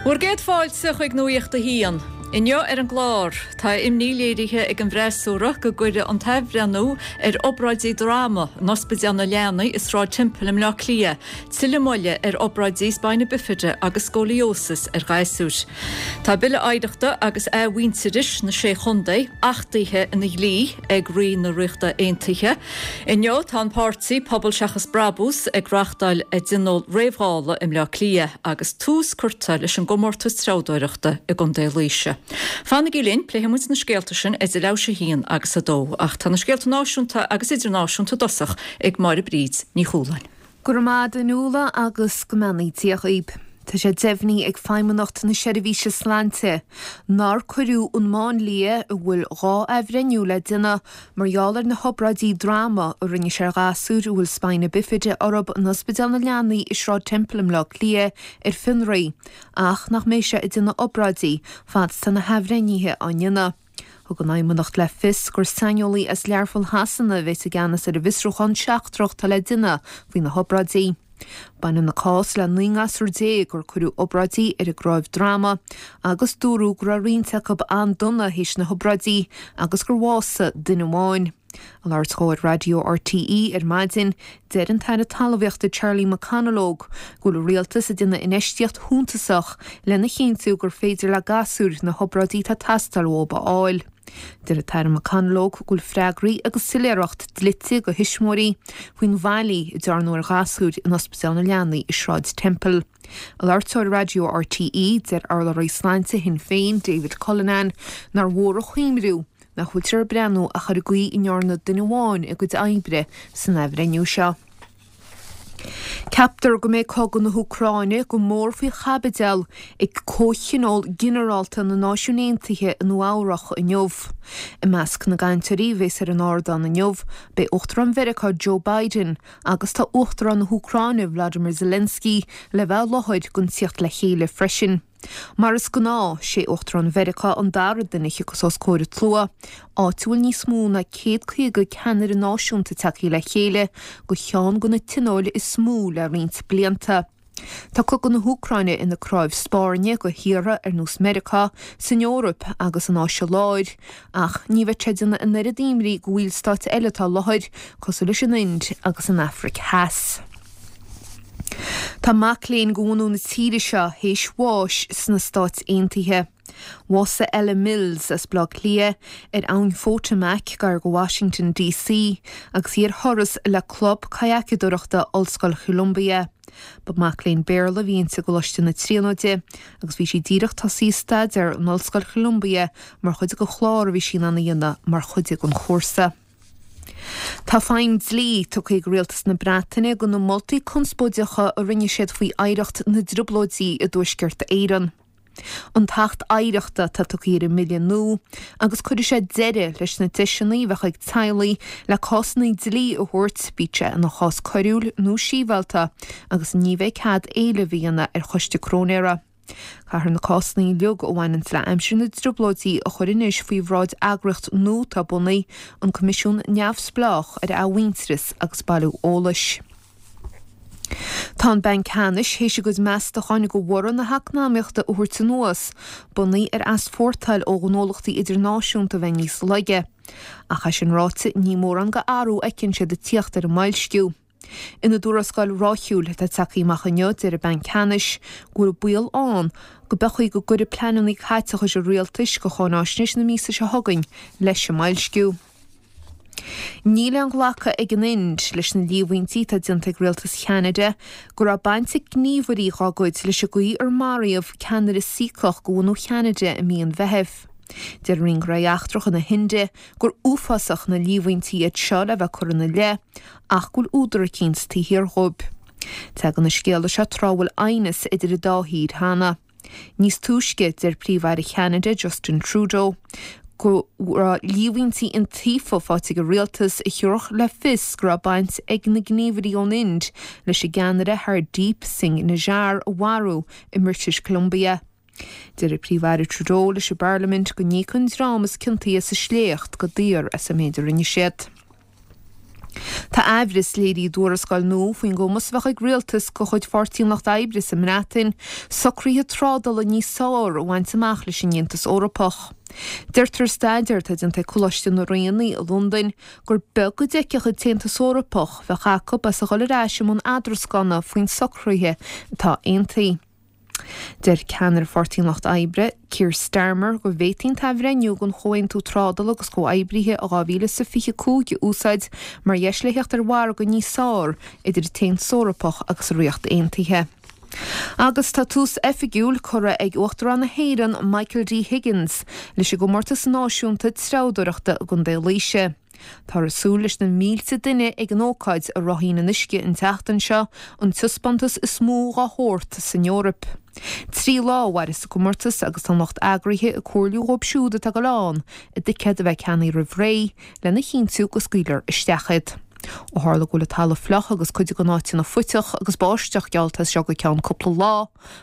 Bhur gcéad fáilte chuig Nuacht a hAon. Inniu ar an gclár, tá imní léirithe ag an bhfreasúra go gcuirfidh an t-athbhreithniú ar obráidí droma in Ospidéal na Leanaí i Sráid Temple i mBleá Cliath tuilleadh moille ar obráidí spina bifida agus scoliosis ar ghasúir. Tá Bille Oidhreachta agus Athmhuintearais na Sé Chontae achtaithe ina dhlí ag Rí na Ríochta Aontaithe. Inniu tá an páirtí Pobal Seachas Brabús ag reáchtáil a dtionól réamh-Dhála i mBleá Cliath agus tús curtha leis an gcomórtas treabhdóireachta i gContae Laoise. Fanaigí linn, pléifidh muid na scéalta sin idir leathuair théis a haon agus a dó. Ach tá na scéalta náisiúnta agus idirnáisiúnta i dtosach ag Máire Bríd Ní Chualáin. Go raibh maith agat a Nuala agus go mbeannaí Dia dhaoib. Tá sé deimhnithe ag Feidhmeannacht na Seirbhíse Sláinte nár cuireadh an máinlia a bhfuil 2 athbhreithniú le déanamh mar gheall ar na hobráidí droma a rinne sé ar ghasúir a bhfuil spina bifida orthu in Ospidéal na Leanaí i Sráid Temple i mBleá Cliath ar fionraí ach nach mbeidh sé ag déanamh obráidí fad is tá na hathbhreithnithe á ndéanamh. Thug an Fheidhmeannacht le fios gur saineolaí as Learpholl Shasana a bheas i gceannas ar an bhfiosrúchán seachtrach atá le déanamh faoi na hobráidí. Baineann an cás le 19 ngasúr gur cuireadh obráidí ar a gcnámh droma agus dúradh go raibh roinnt acu an-dona théis na hobráidí agus gur bhásaigh duine amháin. Ag labhairt dhó ar Raidió RTÉ ar maidin, deir an tAire Talmhaíochta Charlie McConalogue go bhfuil an Rialtas ag déanamh infheistíocht shuntasach lena chinntiú gur féidir le gasúir na hobráidí atá ag teastáil uathu a fháil. Deir an tAire McConalogue go bhfuil freagraí agus soiléireacht dlite do thuismitheoirí faoin bhfaillí a dearnadh ar ghasúir in Ospidéal na Leanaí i Sráid Temple. Ag labhairt dó ar Raidió RTÉ, deir urlabhraí sláinte Shinn Féin, David Cullinane, nár mhór a chuimriú nach bhfuiltear ag breathnú ach ar an gcaoi a ndearna duine amháin a gcuid oibre san athbhreithniú seo. Ceaptar go mbeidh cogadh na hÚcráine go mór faoi chaibideal ag Comhthionól Ginearálta na Náisiún Aontaithe i Nua Eabhrach inniu. I measc na gcainteoirí a bheas ar an ardán inniu beidh Uachtarán Mheiriceá Joe Biden agus tá Uachtarán na hÚcráine Vladimir Zelensky le bheith i láthair don tíocht le chéile freisin. Mar is gnáth, sé Uachtarán Mheiriceá an dara duine a thiocfas os comhair an tslua, áit a bhfuil níos mó ná 150 ceannaire náisiúnta tagtha le chéile do cheann de na tionóil is mó le roinnt blianta. Tá cogadh na hÚcráine ina cnámh spairne do thíortha ar nós Meiriceá, san Eoraip agus san Áise Láir, ach ní bheidh sé ag déanamh an oiread imní do bhaill stáit eile atá i láthair, cosúil leis an Ind agus an Afraic Theas. Tá mac léinn de bhunú na tíre seo théis bháis sna Stáit Aontaithe. Bhásaigh Ella Mills as Baile Átha Cliath ar Abhainn Photomac gar do Washington DC agus í ar thuras le club cadhacadóireachta Ollscoil Cholumbia. Ba mac léinn Béarla a bhí inti i gColáiste na Tríonóide agus bhí sí díreach tosaithe ag staidéar in Ollscoil Cholumbia mar chuid de chlár a bhí sí in ann a dhéanamh mar chuid den chúrsa. Tá feidhm dlí tugtha ag Rialtas na Breataine do na moltaí conspóideacha a rinne siad faoi oidhreacht na dTrioblóidí i dTuaisceart Éireann. An tAcht Oidhreachta atá tugtha ar an mbille nua agus cuirfidh sé deireadh leis na deiseanna a bheadh ag teaghlaigh le cásanna dlí a thabhairt, bíodh sé ina chás coiriúil nó sibhialta, agus ní bheidh cead éileamh a dhéanamh ar choiste cróinéara. Caithfear na cásanna uilig a bhaineanns le aimsir na dTrioblóidí a chur anois faoi bhráid eagraíocht nua atá bunaithe, an Coimisiún Neamhspleách ar Athmhuintearas agus Bailiú Eolais. Tá an Banc Ceannais théis a gcuid meastacháin do bhorradh na heacnamaíochta a thabhairt anuas, bunaithe ar easpórtáil ó ghnólachtaí idirnáisiúnta a bheith níos laige. Ach é sin ráite, ní mórán de athrú a fheiceann siad ag tíocht ar an mboilsciú. Ina dtuarascáil ráithiúil atá tagtha amach inniu, deir an Banc Ceannais go bhfuil baol ann go pé chaoi go gcuirfidh pleananna caiteachais an rialtais do cháináisnéis na míosa seo chugainn leis an mboilsciú. Níl aon ghlacadh ag an Ind leis na líomhaintí atá déanta ag rialtas Cheanada go raibh baint ag gníomhairí dá gcuid leis an gcaoi ar maraíodh ceannaire Saíceach de bhunú Cheanada i mí an Mheithimh. Deir Roinn Gnóthaí Eachtracha na hInde gur uafásach na líomhaintí iad seo le bheith curtha ina leith ach go bhfuil údar eicínt taobh thiar dhóibh. Tagann an scéala seo tráth a bhfuil aighneas idir an dá thír cheana. Níos túisce, deir Príomh-Aire Cheanada, Justin Trudeau, go raibh líomhaintí iontaofa faighte ag an rialtas a thabharfadh le fios go raibh baint ag na gníomhairí ón Ind leis an gceannaire Hardeep Singh Nijjar a mharú i mBritish Columbia. Deir an Príomh-Aire Trudeau leis an bParlaimint go n-íocfaidh an dream is ciontaí sa sléacht go daor as an méid a rinne siad. Tá aimhreas léirithe i dtuarascáil nua faoin gcumas a bheadh ag rialtas de chuid Pháirtí an Lucht Oibre sa mBreatain socruithe trádála níos fearr a bhaint amach leis an Aontas Eorpach. Deirtear i staidéar atá déanta ag Coláiste na Ríona i Londain gur beag a d'fheicfeadh an tAontas Eorpach bheadh acu as a dhul ar ais i mbun eadroscána faoin socruithe atá aontaithe. Deir ceannaire Pháirtí an Lucht Oibre, Keir Starmer, go bhféadfaí an t-athbhreithniú den Chomhaontú Trádála agus Comhoibrithe i 2025 a úsáid mar dheis le theacht ar mhargadh níos fearr idir an tAontas Eorpach agus an Ríocht Aontaithe. Agus tá tús oifigiúil curtha ag Uachtarán na hÉireann, Michael D Higgins, leis an gcomórtas náisiúnta treabhdóireachta i gContae Laoise. Táthar ag súil leis na mílte duine ag an ócáid i Ráithín an Uisce an tseachtain seo, an taispeántas is mó dhá shórt san Eoraip. 3 lá a mhairfeas an comórtas agus tá an lucht eagraithe ag comhairliú dhóibh siúd atá ag dul ann a dticéad a bheith ceannaithe roimh ré lena chinntiú go scaoilfear isteach iad. Ó tharla go bhfuil an talamh fliuch agus cuid de na háiteanna faiteach agus báisteach geallta as seo go ceann cúpla lá,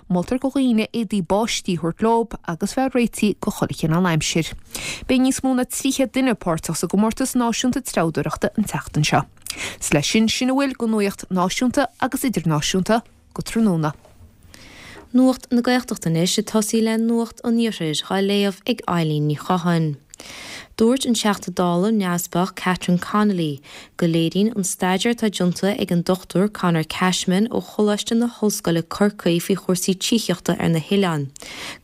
Moltar do dhaoine éadaí báistí a thabhairt leo agus bheith réitithe do chuile chineál aimsir. Beidh níos mó ná 300 duine páirteach sa gcomórtas náisiúnta treabhdóireachta an tseachtain seo. 'S leis sin, sin a bhfuil de nuaíocht náisiúnta agus idirnáisiúnta go tráthnóna. Nuacht na Gaeltachta anois ag tosaí le Nuacht an Iarthair dhá léamh ag Eileen Ní Chatháin. Dúirt an Teachta Dála neamhspleách Catherine Connolly go léiríonn an staidéar atá déanta ag an Dr Conor Cashman ó Choláiste na hOllscoile Corcaigh faoi chúrsaí tithíochta ar na hoileáin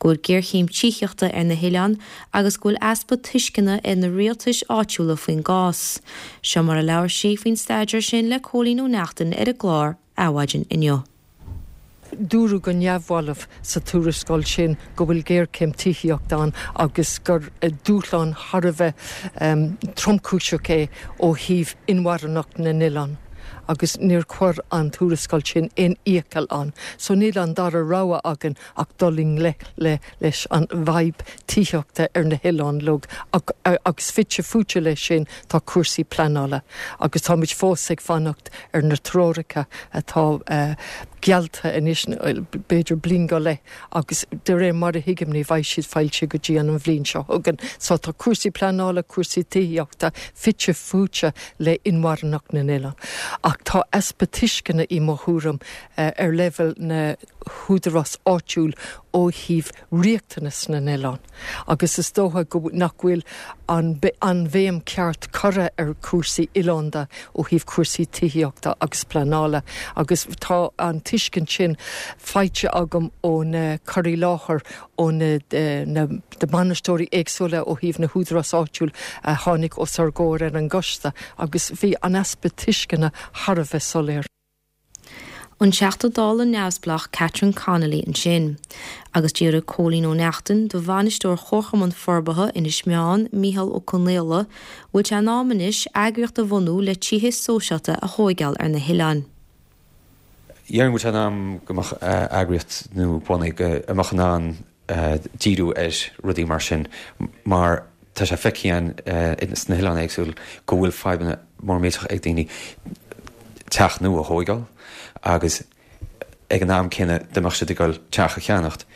go bhfuil géarchéim tithíochta ar na hoileáin agus go bhfuil easpa tuisceana ag na rialtais áitiúla faoin gcás. Seo mar a labhair sí faoin staidéar sin le Cóilín Ó Neachtain ar an gclár Adhmhaidin inniu. Dúradh go neamhbhalbh sa tuarascáil sin go bhfuil géarchéim tithíochta ann agus gur dúshlán thar a bheith tromchúiseach é ó thaobh inmharthanacht na n-oileán agus níor chuir an tuarascáil sin aon fhiacail ann. So níl an dara rogha againn ach dul i ngleic le leis an bhfadhb tithíochta ar na hoileáin uilig agus fite fuaite leis sin tá cúrsaí pleanála agus táimid fós ag fanacht ar na treoracha atá geallta anois b'fhéidir bliain go leith agus de réir mar a thuigim ní bheidh siad foilsithe go dtí an bhliain seo chugainn. So tá cúrsaí pleanála, cúrsaí tithíochta fite fuaite le inmharthanacht na n-oileán. Ach tá easpa tuisceana i mo thuairim ar leibhéal na húdarás áitiúil ó thaobh riachtanas na n-oileán agus is dócha go nach bhfuil an an bhéim ceart curtha ar chúrsaí oileánda ó thaobh cúrsaí tithíochta agus pleanála agus tá an tuiscint sin faighte agam ó na cur i láthair ó na na bainisteoirí éagsúla ó thaobh na húdarás áitiúil a tháinig os ár gcomhair ar an gcoiste agus bhí an easpa tuisceana thar a bheith soiléir. An Teachta Dála neamhspleách Catherine Connolly ansin. Agus d'fhiafraigh Cóilín Ó Neachtain de bhainisteoir Chomharchumann Forbartha Inis Meáin, Micheál Ó Conaola, bhfuil sé in am anois eagraíocht a bhunú le tithe sóisialta a thóigeáil ar na hoileáin. Déarfainn go bhfuil sé in am go mbeadh eagraíocht nua bunaithe go mbeadh in ann díriú ar rudaí mar sin mar tá sé feicthe againn sna hoileáin éagsúil go bhfuil fadhbanna mór millteach ag daoine teach nua a thóigeáil agus ag an am céanna dá mbeadh siad ag dul teach a cheannacht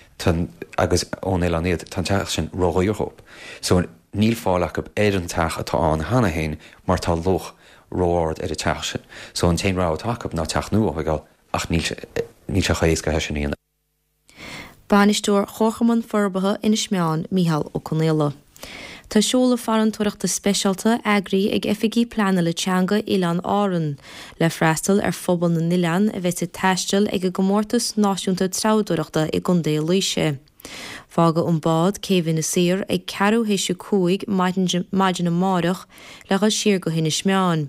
agus ón oileán iad, tá an teach sin ródhaor dhóibh. So níl fáil acu ar an teach atá ann cheana féin mar tá luach ró-ard ar an teach sin. So an t-aon rogha atá acu ná teach nua a thóigeáil ach níl sé chomh héasca sin a dhéanamh. Bainisteoir Chomharchumann Forbartha Inis Meáin, Micheál Ó Conaola. Tá seoladh farantóireachta speisialta eagraithe ag Oifigigh Pleanála Teanga Oileáin Árann le freastal ar phobal na n-oileán a bheas ag taisteal ag an gComórtas Náisiúnta Treabhdóireachta i gContae Laoise. Fágfaidh an bád céibh Inis Oírr ag ceathrú théis a 5 maidin amáireach le dhul siar go hInis Meáin,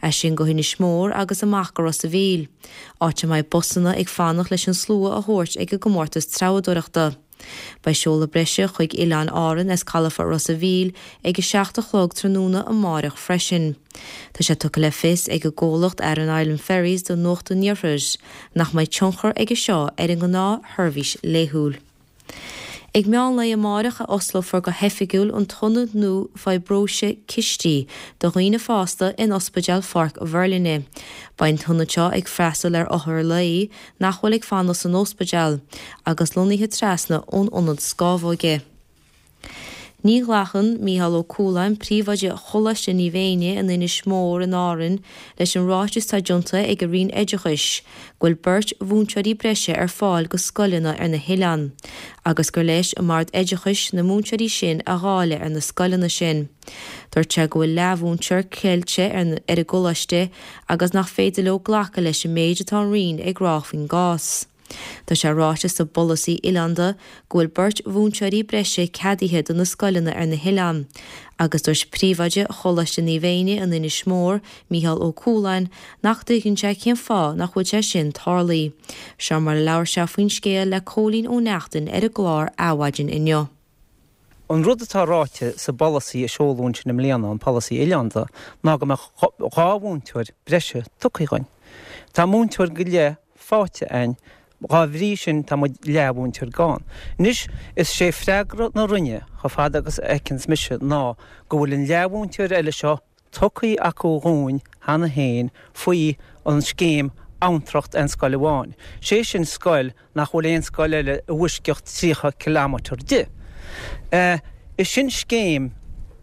as sin go hInis Mór agus amach go Ros a' Mhíl, áit a mbeidh busanna ag fanacht leis an slua a thabhairt ag an gcomórtas treabhdóireachta. Beidh seoladh breise chuig Oileáin Árann as calafort Ros a' Mhíl ag 7 a chlog tráthnóna amáireach freisin. Tá sé tugtha le fios ag an gcomhlacht Aran Island Ferries do Nuacht an Iarthair nach mbeidh tionchar aige seo ar an ngnáthsheirbhís laethúil. Ag meán lae amáireach a osclófar go hoifigiúil an t-ionad nua fiobróise cistí do dhaoine fásta in Ospidéal Pháirc Mheirlinne. Beidh an t-ionad seo ag freastal ar othair lae nach bhfuil ag fanacht san óspidéal, agus lonnaithe trasna ón ionad scámhóige. Ní ghlacann Mícheál Ó Cualáin, príomhoide Choláiste Naomh Éinne in Inis Mór in Árainn, leis an ráiteas atá déanta ag an Roinn Oideachais go bhfuil beirt mhúinteoirí breise ar fáil go scoileanna ar na hoileáin agus gur leis an mBord Oideachais na múinteoirí sin a dháileadh ar na scoileanna sin. Dúirt sé go bhfuil leathmhúinteoir ceilte ar an gcoláiste agus nach féidir leo glacadh leis an méid atá an Roinn ag rá faoin gcás. Tá sé ráite sa bpolasaí oileánda go bhfuil beirt mhúinteoirí breise ceadaithe do na scoileanna ar na hoileáin agus dúirt príomhoide Choláiste Naomh Éinne in Inis Mór, Mícheál Ó Cualáin, nach dtuigeann sé cén fáth nach bhfuil sé sin tarlaithe. Seo mar a labhair sé faoin scéal le Cóilín Ó Neachtain ar an gclár Adhmhaidin inniu. An rud atá ráite sa bpolasaí a seoladh ansin i mbliana, an polasaí oileánda, ná go mbeadh 2 mhúinteoir breise tugtha dhuinn. Tá múinteoir go leith faighte a'inn, dhá bhrí sin tá muid leathmhúinteoir gann. Anois, is sé freagra na Roinne, chomh fada agus a fheiceanns mise, ná go bhfuil an leathmhúinteoir eile seo tugtha acu dhúinn cheana féin faoi an scéim Amhantracht Aon Scoil Amháin, sé sin scoil nach bhfuil aon scoil eile i bhfoisceacht 30 kilometre di. Is sin scéim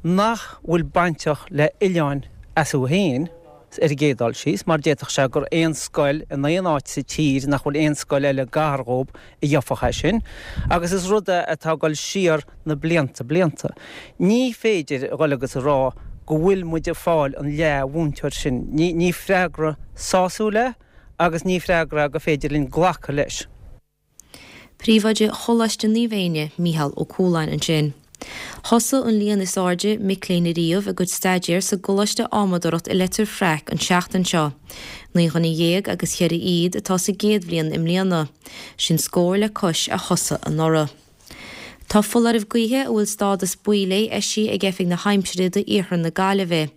nach bhfuil bainteach le oileáin astu féin, ar an gcéad dul síos, mar d'fhéadfadh sé gur aon scoil in aon áit sa tír nach bhfuil aon scoil eile gar dhób a gheofadh é sin, agus is rud é atá ag dul siar na blianta blianta. Ní féidir a dhul agus a rá go bhfuil muid ag fáil an leath-mhúinteoir sin. Ní freagra sásúil é agus ní freagra é gur féidir linn glacadh leis. Príomhoide Choláiste Naomh Éinne, Mícheál Ó Cualáin ansin. Thosaigh an líon is airde mic léinn ariamh a gcuid staidéir sa gColáiste Adhmadóireacht i Leitir Fraic an tseachtain seo. 19 dhuine agus cheithre fhichead atá sa gcéad bhliain i mbliana. Sin scór le cois a thosaigh anuraidh. Tá foláireamh gaoithe a bhfuil stádas buí léi eisithe ag Oifig na hAimsire d'iarthar na Gaillimhe.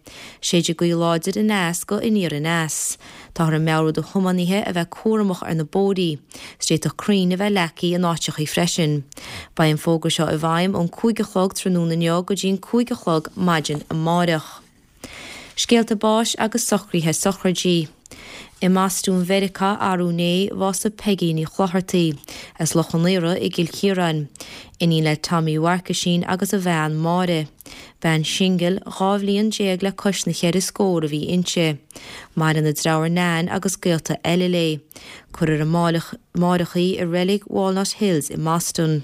Séidfidh gaoth láidir aneas go aniar aneas. Táthar ag meabhrú do thiománaithe a bheith cúramach ar na bóithrí. 's d'fhéadfadh crainn a bheith leagtha in áiteachaí freisin. Beidh an fógra seo i bhfeidhm ón 5 a chlog tráthnóna inniu go dtí an 5 a chlog maidin amáireach. Scéalta báis agus socruithe sochraidí. I mBostún Mheiriceá arú inné, bhásaigh Peigí Ní Chlochartaigh, as Loch an Iora i gCill Chiaráin. Iníon le Tommy Mharcaisín agus a bhean Máire. Bean shingil, 12 bhliain le cois na cheithre scór a bhí inti. Maireann a deartháir Nan agus gaolta eile léi. Cuirfear amáireach í i reilig Walnut Hills i mBoston.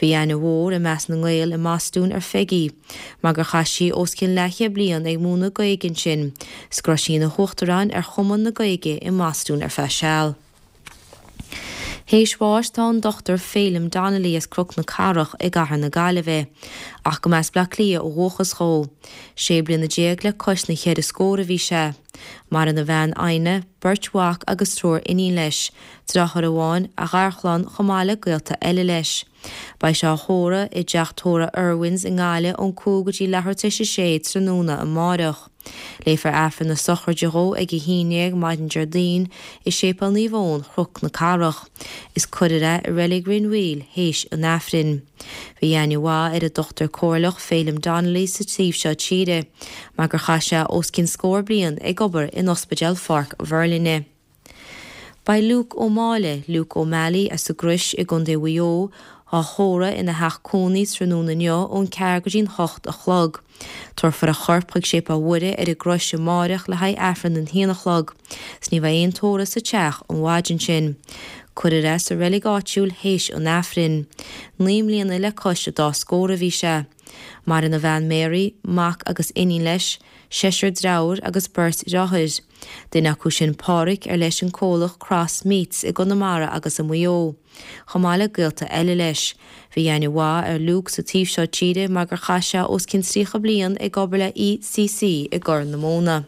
Bhí aithne mhór i measc na nGael i mBostún ar Pheigí, mar gur chaith sí os cionn leathchéad bliain ag múineadh Gaeilge ansin, 's go raibh sí ina huachtarán ar Chumann na Gaeilge i mBostún ar feadh seal. Théis bháis tá an Dr Féilim Donnelly as Cnoc na Cathrach i gcathair na Gaillimhe, ach go mba as Bleá Cliath ó dhúchas dhó. Sé bliana le cois na cheithre scór a bhí sé. Maireann a bhean Adhna, beirt mhac agus triúr iníon leis, Deartháir amháin, a gharchlann chomh maith le gaolta eile leis. Beidh sé á thórramh i dteach tórraimh Irwin's i nGaillimh ón 5 go dtí leathuair tar éis a sé tráthnóna amáireach. Léifear Aifreann na sochraide dhó ag 11 maidin Déardaoin i Séipéal Naomh Eoin, Chnoc na Cathrach. Is cuirfear é i Reilig Rinn Mhaoil théis an Aifrinn. Bhí aithne mhaith ar an Dochtúir Comhairleach Féilim Donnelly sa taobh seo tíre, mar gur chaith sé os cionn scór bliain ag obair in Ospidéal Pháirc Mhuirlinne. Beidh Luke Ó Máille, Luke O'Malley, as an gCrois i gContae Mhaigh Eo, á thórramh ina theach cónaí tráthnóna inniu ón ceathair go dtí'n hocht a chlog. Tabharfar a chorp chuig Séipéal Mhuire ar an gCrois amáireach le haghaidh Aifreann an haon a chlog, 's ní bheidh aon tórramh sa teach an mhaidin sin. Cuirfear é sa reilig áitiúil théis an Aifrinn. 9 mbliana le cois a dá scór a bhí sé. Maireann a bhean Mary, mac agus iníon leis, seisear dreabhar agus beirt dhreáthair. Duine acu sin Páraic ar leis an comhlacht Cross Meats i gConamara agus i Maigh Eo. Chomh maith le gaolta eile leis. Bhí aithne mhaith ar Luke sa taobh seo tíre mar gur chaith sé os cionn 30 bliain ag obair le ECC i gCorr na Móna.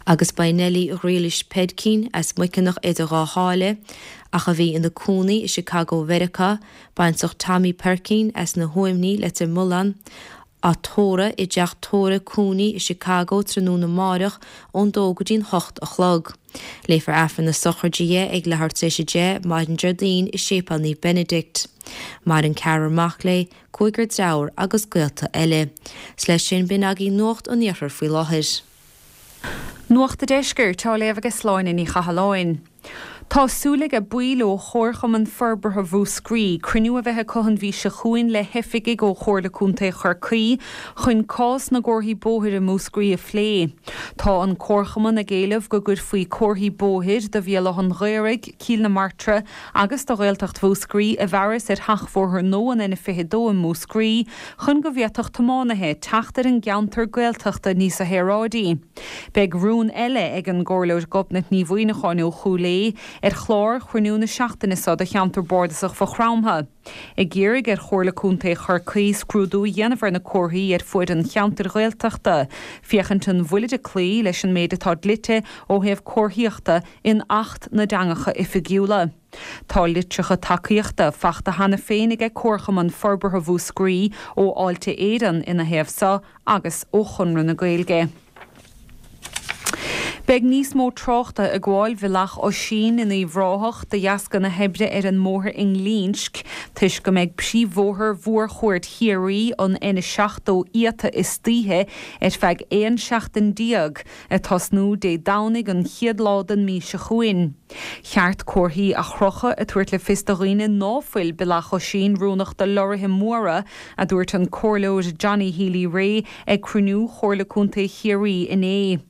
Agus beidh Nellie Ghriallais Peidcín as Muiceanach idir Dhá Sháile, ach a bhí ina cónaí i Chicago Mheiriceá, baintreach Tommy Peircín as na hUaimní, Leitir Mealláin, á tórramh i dteach tórraimh Cooney i Chicago tráthnóna amáireach ón dó go dtí'n hocht a chlog. Léifear Aifreann na sochraide dhi ag leathuair tar éis a 10 maidin Déardaoin i Séipéal Naomh Benedict. Maireann ceathrar mac léi, cúigear dreabhar agus gaolta eile. 'S leis sin b'in agaibh Nuacht an Iarthair faoi láthair. Nuacht a' Deiscirt á léamh ag Sláine Ní Chathalláin. Tá súil ag baill ó Chomharchumann Forbartha Mhúscraí cruinniú a bheith acu an mhí seo chugainn le hoifigigh ó Chomhairle Contae Chorcaí chun cás na gcomharthaí bóthair i Múscraí a phlé. Tá an Comharchumann ag éileamh go gcuirfí comharthaí bóthair do Bhéal Átha'n Ghaorthaidh, Cill na Martra agus do Ghaeltacht Mhúscraí i bhfearas ar sheachbhóthar nua an N22 i Múscraí chun go bhféadfadh tiománaithe teacht ar an gceantar Gaeltachta níosa shaoráidí. Beidh rún eile ag an gComhairleoir Gobnait Ní Mhuimhneacháin ó Chúil Aodha ar chlár chruinniú na seachtaine seo do cheantar bardasach Mhaigh Chromtha, ag iarraidh ar Chomhairle Contae Chorcaí scrúdú a dhéanamh ar na comharthaí ar fuaid an cheantair Ghaeltachta, féachaint an bhfuilid ag cloí leis an méid atá dlite ó thaobh comharthaíochta in Acht na dTeangacha Oifigiúla. Tá litreacha tacaíochta fachta cheana féin aige Comharchumann Forbartha Mhúscraí ó Fháilte Éireann ina thaobh seo agus ó Chonradh na Gaeilge. Beidh níos mó tráchta ag gabháil Bhealach Oisín in Uíbh Ráthach de dheasca na hoibre ar an mbóthar i nGlinsc toisc go mbeidh príomhbhóthar Mhórchuaird Chiarraí, an N70, iata istoíche ar feadh 11 seachtain, ag tosnú Dé Domhnaigh an chéad lá den mí seo chugainn. Cheart comharthaí a chrochadh ag tabhairt le fios do dhaoine ná fuil Bealach Oisín oiriúnach do lorraithe móra, a dúirt an Comhairleoir Johnny Healy-Rae ag cruinniú Chomhairle Contae Chiarraí inné.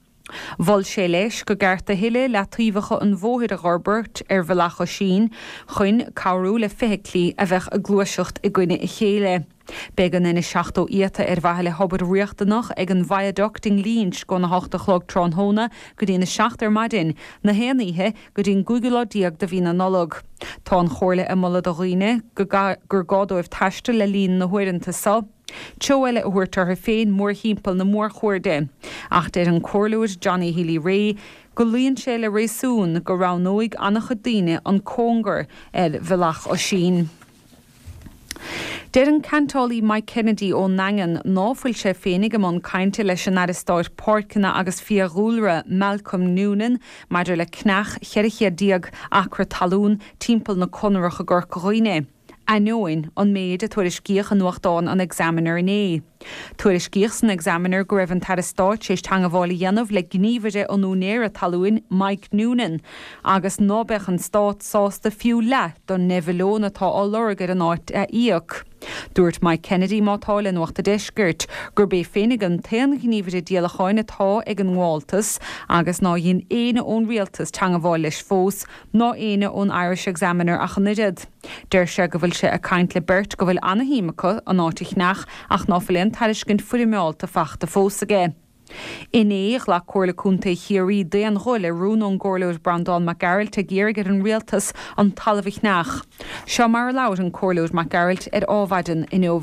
Mhol sé leis go gceart a thuilleadh leataobhacha an bhóthair a dh'fhorbairt ar Bhealach Oisín chun cabhrú le feithiclí a bheadh ag gluaiseacht i gcoinne a chéile. Beidh an N70 iata ar mhaithe le hobair riachtanach ag an Viaduct i nGlinsc óna hocht a chlog tráthnóna go dtí'n 7 ar maidin, na haon oíche go dtí'n gcúigiú lá déag de mhí na Nollag. Tá an Chomhairle ag moladh do dhaoine go gur gá dóibh taisteal le linn na huaireanta so, treo eile a thabhairt orthu féin mórthimpeall na mórchuairde. Ach deir an Comhairleoir Johnny Healy-Rae go luíonn sé le réasún go roghnóidh an-chuid daoine an cóngar ar Bhealach Oisín. Deir an ceantálaí Mike Kennedy ón nDaingean ná fuil sé féinig i mbun cainte leis an Aire Stáit Páirceanna agus Fiadhúlra Malcolm Noonan maidir le ceannach 1400 acra talún timpeall na Conrach i gCorca Dhuibhne, ainneoin an méid a tuairiscíodh i nuachtán an Examiner inné. Tuairiscíodh san Examiner go raibh an tAire Stáit tar éis teangabháil a dhéanamh le gníomhaire an úinéara talúin, Mike Noonan, agus ná beadh an Stát sásta fiú leath don ndeich mhilliún atá á lorg ar an áit a íoc. Dúirt Mike Kennedy, má tá, le Nuacht a' Deiscirt, gurb é féinig an t-aon ghníomhaire díolacháin atá ag an ngabháltas agus ná dhein éinne ón Rialtas teangabháil leis fós, ná éinne ón Irish Examiner ach an oiread. Deir sé go bhfuil sé ag caint le beirt go bhfuil ana-shuim acu an áit a cheannach ach ná fuil aon tairiscint foirmeálta fachta fós aige. Inné, ghlac Comhairle Contae Chiarraí d'aon ghuth le rún ón gComhairleoir Breandán Mac Gearailt ag iarraidh ar an Rialtas an talamh a cheannach. Seo mar a labhair an Comhairleoir Mac Gearailt ar Ádhmhaidin inniu.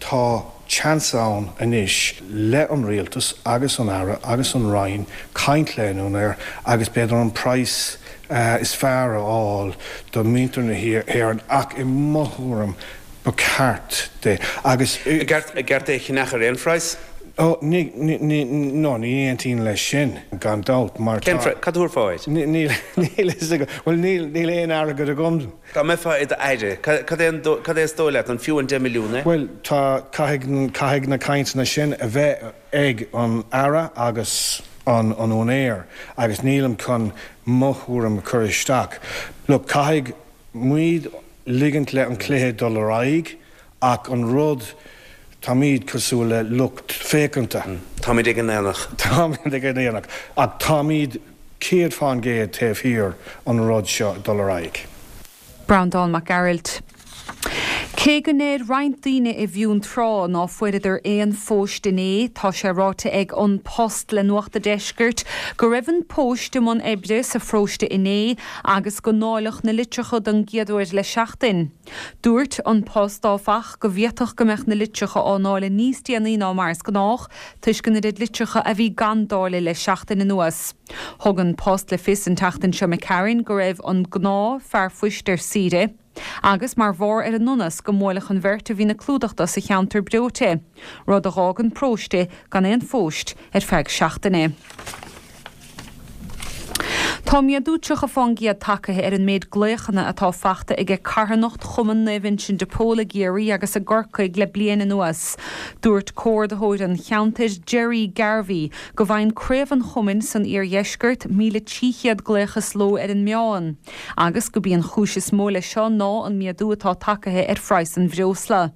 Tá seans ann anois le an Rialtas agus an Aire agus an Roinn caint le an úinéir agus b'fhéidir an praghas is fearr a fháil do mhuintir na hÉireann ach i mo thuairim ba cheart di agus. An gceart é a cheannach ar aon phraghas? Ó, ní, ní, ní, no, ní aontaím leis sin, gan dabht, mar tá. Cén phraghas? Cad a thabharfá air? Níl, níl a fhios agam, bhuel, níl, níl aon airgead agam. Dá mbeifeá i d'aire, cad é an, cad é is dóigh leat, an fiú an 10 milliún é? Bhuel, tá, caithfidh, caithfidh na cainteanna sin a bheith ag an Aire agus an, an úinéir agus nílim chun mo thuairim a chur isteach. Look, caithfidh muid ligint le an cluiche dul ar aghaidh ach an rud, táimid cosúil le lucht féachanta. Táimid ag an aonach. Táimid ag an aonach ach táimid 100% taobh thiar an rud seo dul ar aghaidh. Breandán Mac Gearailt. Cé go ndeir roinnt daoine i bhFionntrá ná fuaireadar aon phost inné, tá sé ráite ag An Post le Nuacht a' Deiscirt go raibh an post i mbun oibre sa pharóiste inné agus go ndáileadh na litreacha don gcéad uair le seachtain. Dúirt An Post, áfach, go bhféadfadh go mbeadh na litreacha á ndáileadh níos déanaí ná mar is gnách toisc an oiread litreacha a bhí gan dáileadh le seachtain anuas. Thug An Post le fios an tseachtain seo imigh tharainn go raibh an gnáth fear phoist ar saoire agus mar bharr ar an ndonas go mbuailfeadh an bheirt a bhíonn ag clúdach do sa cheantar breoite, rud a dh'fhág an paróiste gan aon phost ar feadh seachtaine. Tá méadú 30 fán gcéad tagtha ar an méid glaochanna atá fachta aige carthanacht Chumann Naomh Uinseann de Pól i gCiarraí agus i gCorcaigh le bliain anuas. Dúirt comhordaitheoir an cheantair, Gerry Garvey, go bhfaigheann craobh an chumainn san iardheisceart 1,300 glaoch sa ló ar an meán, agus gurb í an chúis is mó leis seo ná an méadú atá tagtha ar phraghas an bhreosla.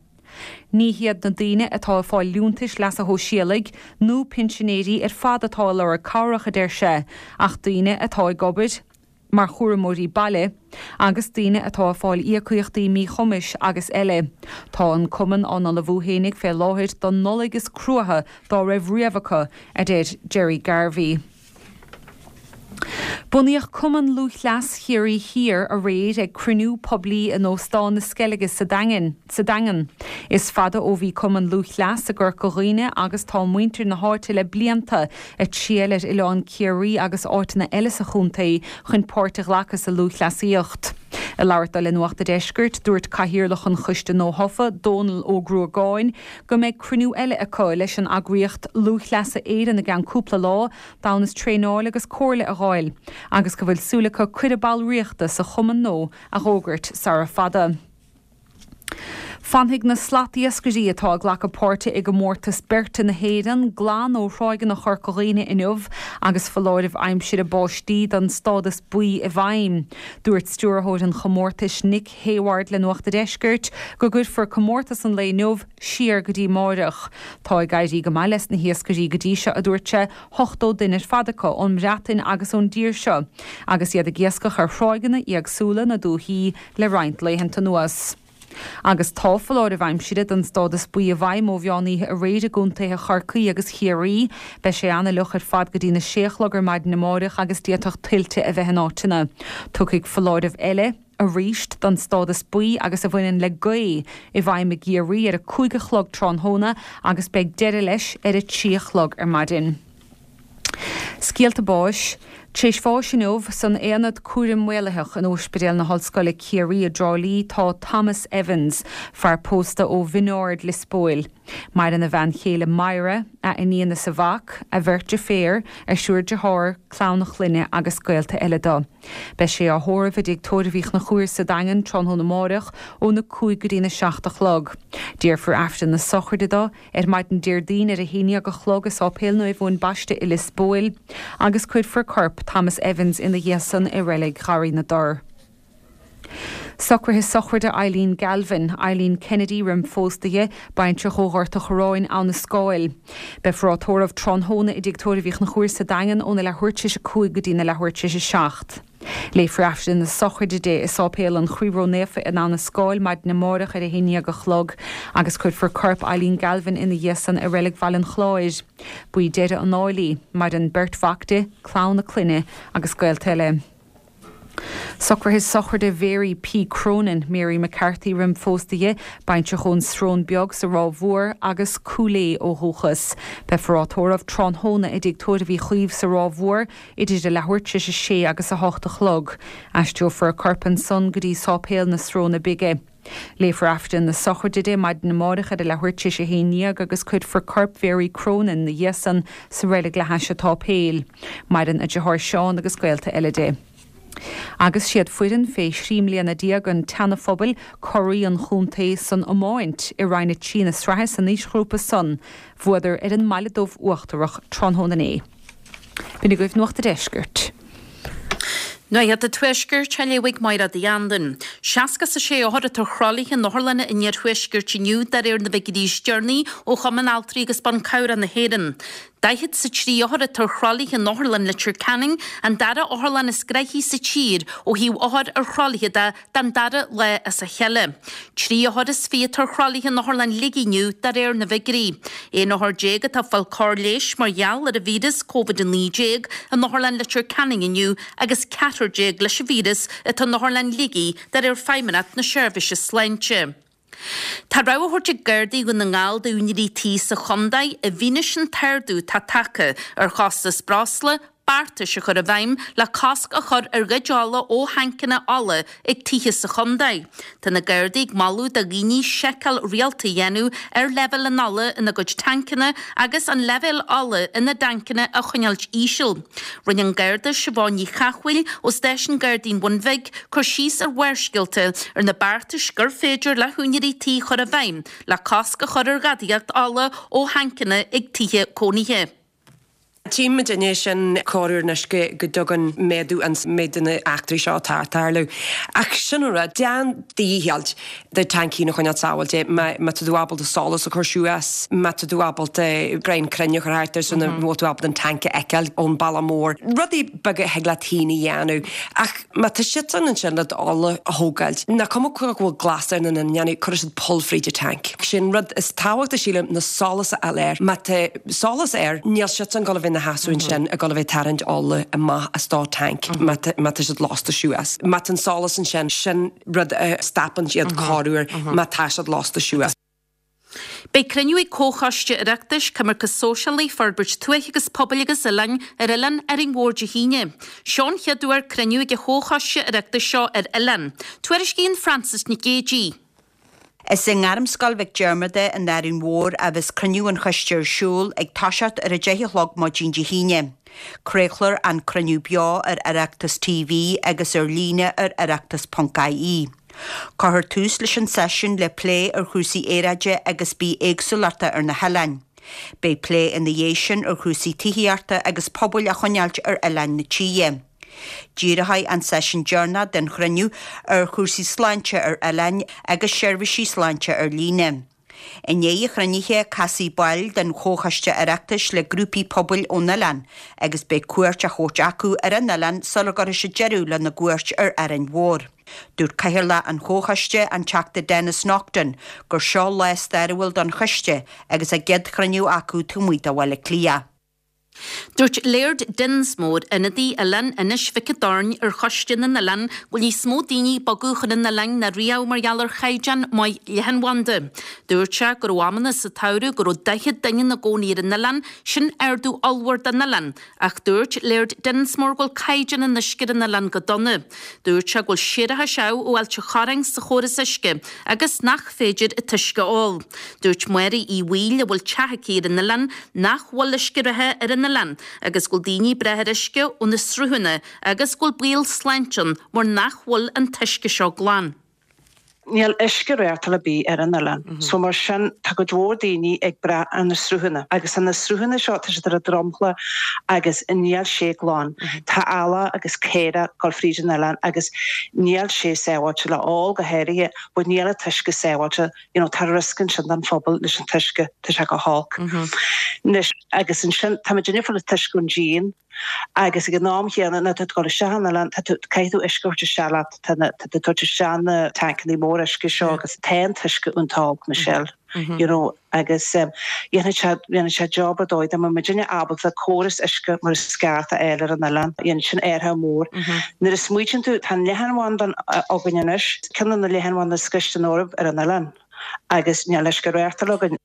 Ní hiad na daoine atá ag fáil liúntais leasa shóisialaigh nó pinsinéirí ar fad atá ag lorg cabhrach, a deir sé, ach daoine atá ag obair mar chúramóirí baile agus daoine atá ag fáil íocaíochtaí míchumais agus eile. Tá an cumann á n-ullmhú fhéinig fé láthair don Nollaig is cruaithe dá raibh riamh acu, a deir Gerry Garvey. Bunaíodh Cumann Lúthchleas Chiarraí Thiar aréir ag cruinniú poiblí in Óstán na Sceilge sa Daingean. Is fada ó bhí Cumann Lúthchleas i gCorca Dhuibhne agus tá muintir na háite le blianta ag triall ar Oileán Ciarraí agus áiteanna eile sa chontae chun páirt a ghlacadh sa lúthchleasaíocht. Ag labhairt dó le Nuacht a' Deiscirt, dúirt Cathaoirleach an Choiste nuathofa, Dónal Ó Gruagáin, go mbeidh cruinniú eile acu leis an eagraíocht Lúthchleasa Éireann i gceann cúpla lá d'fhonn is traenáil agus comhairle a dh'fháil, agus go bhfuil súil acu cuireadh ballraíochta sa chumann nua a dh'fhógairt sara fada. Fanfaidh na slatiascairí atá ag glacadh páirte i gcomórtas beirte na hÉireann glan ó thráigheanna Chorca Dhuibhne inniu agus foláireamh aimsire báistí don stádas buí i bhfeidhm. Dúirt stiúrthóir an chomórtais Nick Hayward le Nuacht a' Deiscirt go gcuirfear comórtas an lae inniu siar go dtí máireach. Tá ag éirí go maith leis na hiascairí go dtí seo, a dúirt sé, 80 duine ar fad acu ón mBreatain agus ón dtír seo, agus iad ag iascach ar thráigheanna éagsúla na dúichí le roinnt laethanta anuas. Agus tá foláireamh aimsire don stádas buí i bhfeidhm ó mheán oíche aréir i gcontaetha Chorcaí agus Chiarraí. Beidh sé an-fhliuch ar fad go dtí na sé a chlog ar maidin amáireach agus d'fhéadfadh tuilte a bheith in áiteanna. Tiocfaidh foláireamh eile. arís don stádas buí agus a bhaineann le gaoth i bhfeidhm i gCiarraí ar a 5 a chlog tráthnóna agus beidh deireadh leis ar a 3 a chlog ar maidin. Scéalta báis. Tar éis bháis inniu san Aonad Cúraim Maolaitheach in Óispidéal na hOllscoile Ciarraí i dTrá Lí tá Thomas Evans, fear pósta ó Bhinn Ard, Lios Póil. Maireann a bhean chéile Myra, a iníon is a mhac, a bheirt deirféar, a thriúr dearthár, clann a chlainne agus gaolta eile dó. Beidh sé á thórramh i dTigh Tórraimh Uí Chonchúir sa Daingean tráthnóna amáireach óna 5 go dtína 7 a chlog. Déarfar Aifreann na sochraide dó ar maidin Déardaoin ar a haon dhéag a chlog i Sáipéal Naomh Eoin Baiste i Lios Póil agus cuirfear corp Thomas Evans ina dhiaidh san i Reilig Gharraí na dTor. Socruithe sochraide Eileen Galvin, Eileen Kennedy roim phósadh di, baintreach ó Ghort a' Chorráin, Abha na Scáil. Beifear á tórramh tráthnóna i dTigh Tórraimh Uí Chonchúir sa Daingean óna leathuair tar éis a 5 go dtína leathuair tar éis a 7. Léifear Aifreann na sochraide di i Sáipéal an Chroí Ró-Naofa in Abha na Scáil maidin amáireach ar a haon dhéag a chlog agus cuirfear corp Eileen Galvin ina dhiaidh san i Reilig Bhaile an Chláir. Ba í deireadh an áil í. Maireann beirt mhac di, clann a clainne agus gaolta eile. Socruithe sochraide Mhary P. Cronin, Mary McCarthy roim phósadh di, baintreach ón Srón Beag sa Ráth Mhór agus Cúil Aodha ó dhúchas. Beifear á tórramh tráthnóna i dTigh Tórraimh Uí Chaoimh sa Ráth Mhór idir a leathuair tar éis a sé agus a hocht a chlog. Aistreofar a corp ansan go dtí Sáipéal na Sróine Bige. Léifear Aifreann na sochraide di maidin amáireach ar a leathuair tar éis a haon dhéag agus cuirfear corp Mhary Cronin 'na dhiaidh san sa reilig le hais an tsáipéil. Maireann a deartháir Seán agus gaolta eile di. Agus siad foireann fé thrí mbliana déag an tSeana-Phobail curaidh an chontae san iomáint i Roinn 3 na sraithe san aoisghrúpa san. Bhuadar ar an mBaile Dubh Uachtarach tráthnóna inné. B'in agaibh Nuacht a' Deiscirt. Nuacht a' Tuaiscirt á léamh ag Máire Uí Anluain. 66 othar atá ar thralaithe in otharlanna an iarthuaiscirt inniu de réir na bhfigiúirí is deireanaí ó Chumann Altraí agus Ban Cabhrach na hÉireann. 43 othar atá ar thralaithe in Otharlann Leitir Ceanainn, an dara otharlann is gnoithí sa tír ó thaobh othar ar thralaithe de, don dara lá as a chéile. 23 othar atá ar thralaithe in Otharlann Shligigh inniu de réir na bhfigiúirí. 11 othar atá ag fáil cóir leighis mar gheall ar an víreas Covid-19 in Otharlann Leitir Ceanainn inniu agus ceathrar déag leis an víreas atá in Otharlann Shligigh de réir Feidhmeannacht na Seirbhíse Sláinte. Tá rabhadh á thabhairt ag Gardaí Dhún na nGall d'úinéirí tí sa chontae i bhfianaise an t-ardú atá tagtha ar chostas breosla. beartais a chur i bhfeidhm le cosc a chur ar ghoid ola ó thancanna ola ag tithe sa chontae. Tá na Gardaí ag moladh do dhaoine seiceáil rialta a dhéanamh ar leibhéal an ola ina gcuid tancanna agus an leibhéal ola ina dtancanna a choinneáilt íseal. Rinne an Garda Siobhán Ní Chathmhaoil ó Stáisiún Gardaí an Bhun Bhig cur síos ar Bharrscéalta ar na beartais gur féidir le húinéirí tí a chur i bhfeidhm le cosc a chur ar ghadaíocht ola ó thancanna ag tithe cónaithe. Tchíonn muidinne sin corruair anois go dtagann méadú an méid de na eachtraí seo atá ag tarlú. Ach sin an rud, déan do dhícheall do tanc féin a choinneáil sábháilte. Má tá tú ábalta solas a chur suas, má tá tú ábalta greim crainn a chur thart air so nach bhfuil tú ábalta an tanc a fheiceáil ón bealach mór. Rudaí beaga a thig leat féin a dhéanamh. Ach má tá siadsan ansin le d'ola a thógáilt, nach cuma go bhfuil glas air nó níl, cuirfidh siad poll fríd an tanc. Sin rud is tábhachtaí sílim ná solas a fháil air. Má tá. solas air, níl siadsan ag dul a bheith ina sheasamh ansin ag dul a bheith ag tarraingt ola amach as do tanc má tá siad lasta suas. Má tá an solas ansin, sin rud a stopann iad corruair má tá siad lasta suas. Beidh cruinniú ag Comhchoiste Oireachtais, Coimirce Sóisialaí, Forbairt Tuaithe agus Pobail agus Oileáin ar Oileán Árainn Mhór Dé hAoine. Seo an chéad uair cruinniú ag an Chomhchoiste Oireachtais seo ar oileán. Tuairiscíonn Frances Nic Géadaigh. Is i nGairmscoil Mhic Diarmada in Árainn Mhór a bheas cruinniú an choiste ar siúl ag toiseacht ar a 10 a chlog maidin Dé hAoine. Craolfar an cruinniú beo ar Oireachtas TV agus ar líne ar oireachtas ponc ie. Cuirfear tús leis an seisiún le plé ar chúrsaí aeráide agus bithéagsúlachta ar na hoileáin. Beidh plé ina dhiaidh sin ar chúrsaí tithíochta agus pobail a choinneáilt ar oileáin na tíre. Díreoidh an seisiún deireanach den chruinniú ar chúrsaí sláinte ar oileáin agus seirbhísí sláinte ar líne. I ndiaidh an chruinnithe, casfaidh baill den Chomhchoiste Oireachtais le grúpaí pobail ón oileán agus beidh cuairt á thabhairt acu ar an oileán sula gcuirfidh siad deireadh lena gcuairt ar Árainn Mhór. Dúirt Cathaoirleach an Chomhchoiste, an Teachta Denis Naughten, gur seo lá stairiúil don choiste agus a gcéad chruinniú acu taobh amuigh de Bhaile Átha Cliath. Dúirt Laird Dinsmore, ionadaí Oileán Inis Mhic an Doirn ar Choiste na nOileán, go bhfuil níos mó daoine ag bogadh chun an oileáin ná riamh mar gheall ar chaighdeán maith leathanbhanda. Dúirt sé go raibh amanna sa tsamhradh go raibh 40 duine ina gcónaí ar an oileán, sin ardú ollmhór don oileán. Ach dúirt Laird Dinsmore go bhfuil caighdeán an uisce ar an oileán go dona. Dúirt sé go bhfuil séarachais amh ó Ailt an Chorráin sa chóras uisce agus nach féidir an t-uisce a ól. Dúirt Máire Uí Bhaoill, a bhfuil teach aici ar an oileán, nach bhfuil uisce reatha ar an oileán agus go bhfuil daoine ag brath ar uisce ó na sruthanna agus go bhfuil baol sláinte ann mar nach bhfuil an t-uisce seo glan. Níl uisce reachtáil ar bith ar an oileán so mar sin tá cuid mhór daoine ag brath ar na sruthanna agus na sruthanna seo tá siad ar an dromchla agus níl sé glan. Tá eala agus caora ag dul fríd an oileán agus níl sé sábháilte le ól go háirithe but níl an t-uisce sábháilte you know tá riosca ansin don phobal leis an t-uisce, tá sé go holc. Anois, agus ansin, tá muid ag fáil an t-uisce ón díon agus ag an am chéanna nuair atá tú ag dul isteach an oileán, tá tú, caithfidh tú uisce a thabhairt isteach leat, tá na, tá tú ag tabhairt isteach na tancannaí mór uisce seo agus tá an t-uisce iontach olc, Michelle, you know, agus dhéanfadh sé, dhéanfadh sé job ar dóigh dá mbeadh muidinne ábalta córas uisce mar is ceart a fháil ar an oileán, dhéanfadh sin athrú mór. Nuair a smaoitíonn tú, tá an leathanbhanda againn anois, ceann de na leathanbhanda is gaiste san Eoraip ar an oileán agus níl uisce reachtáil againn.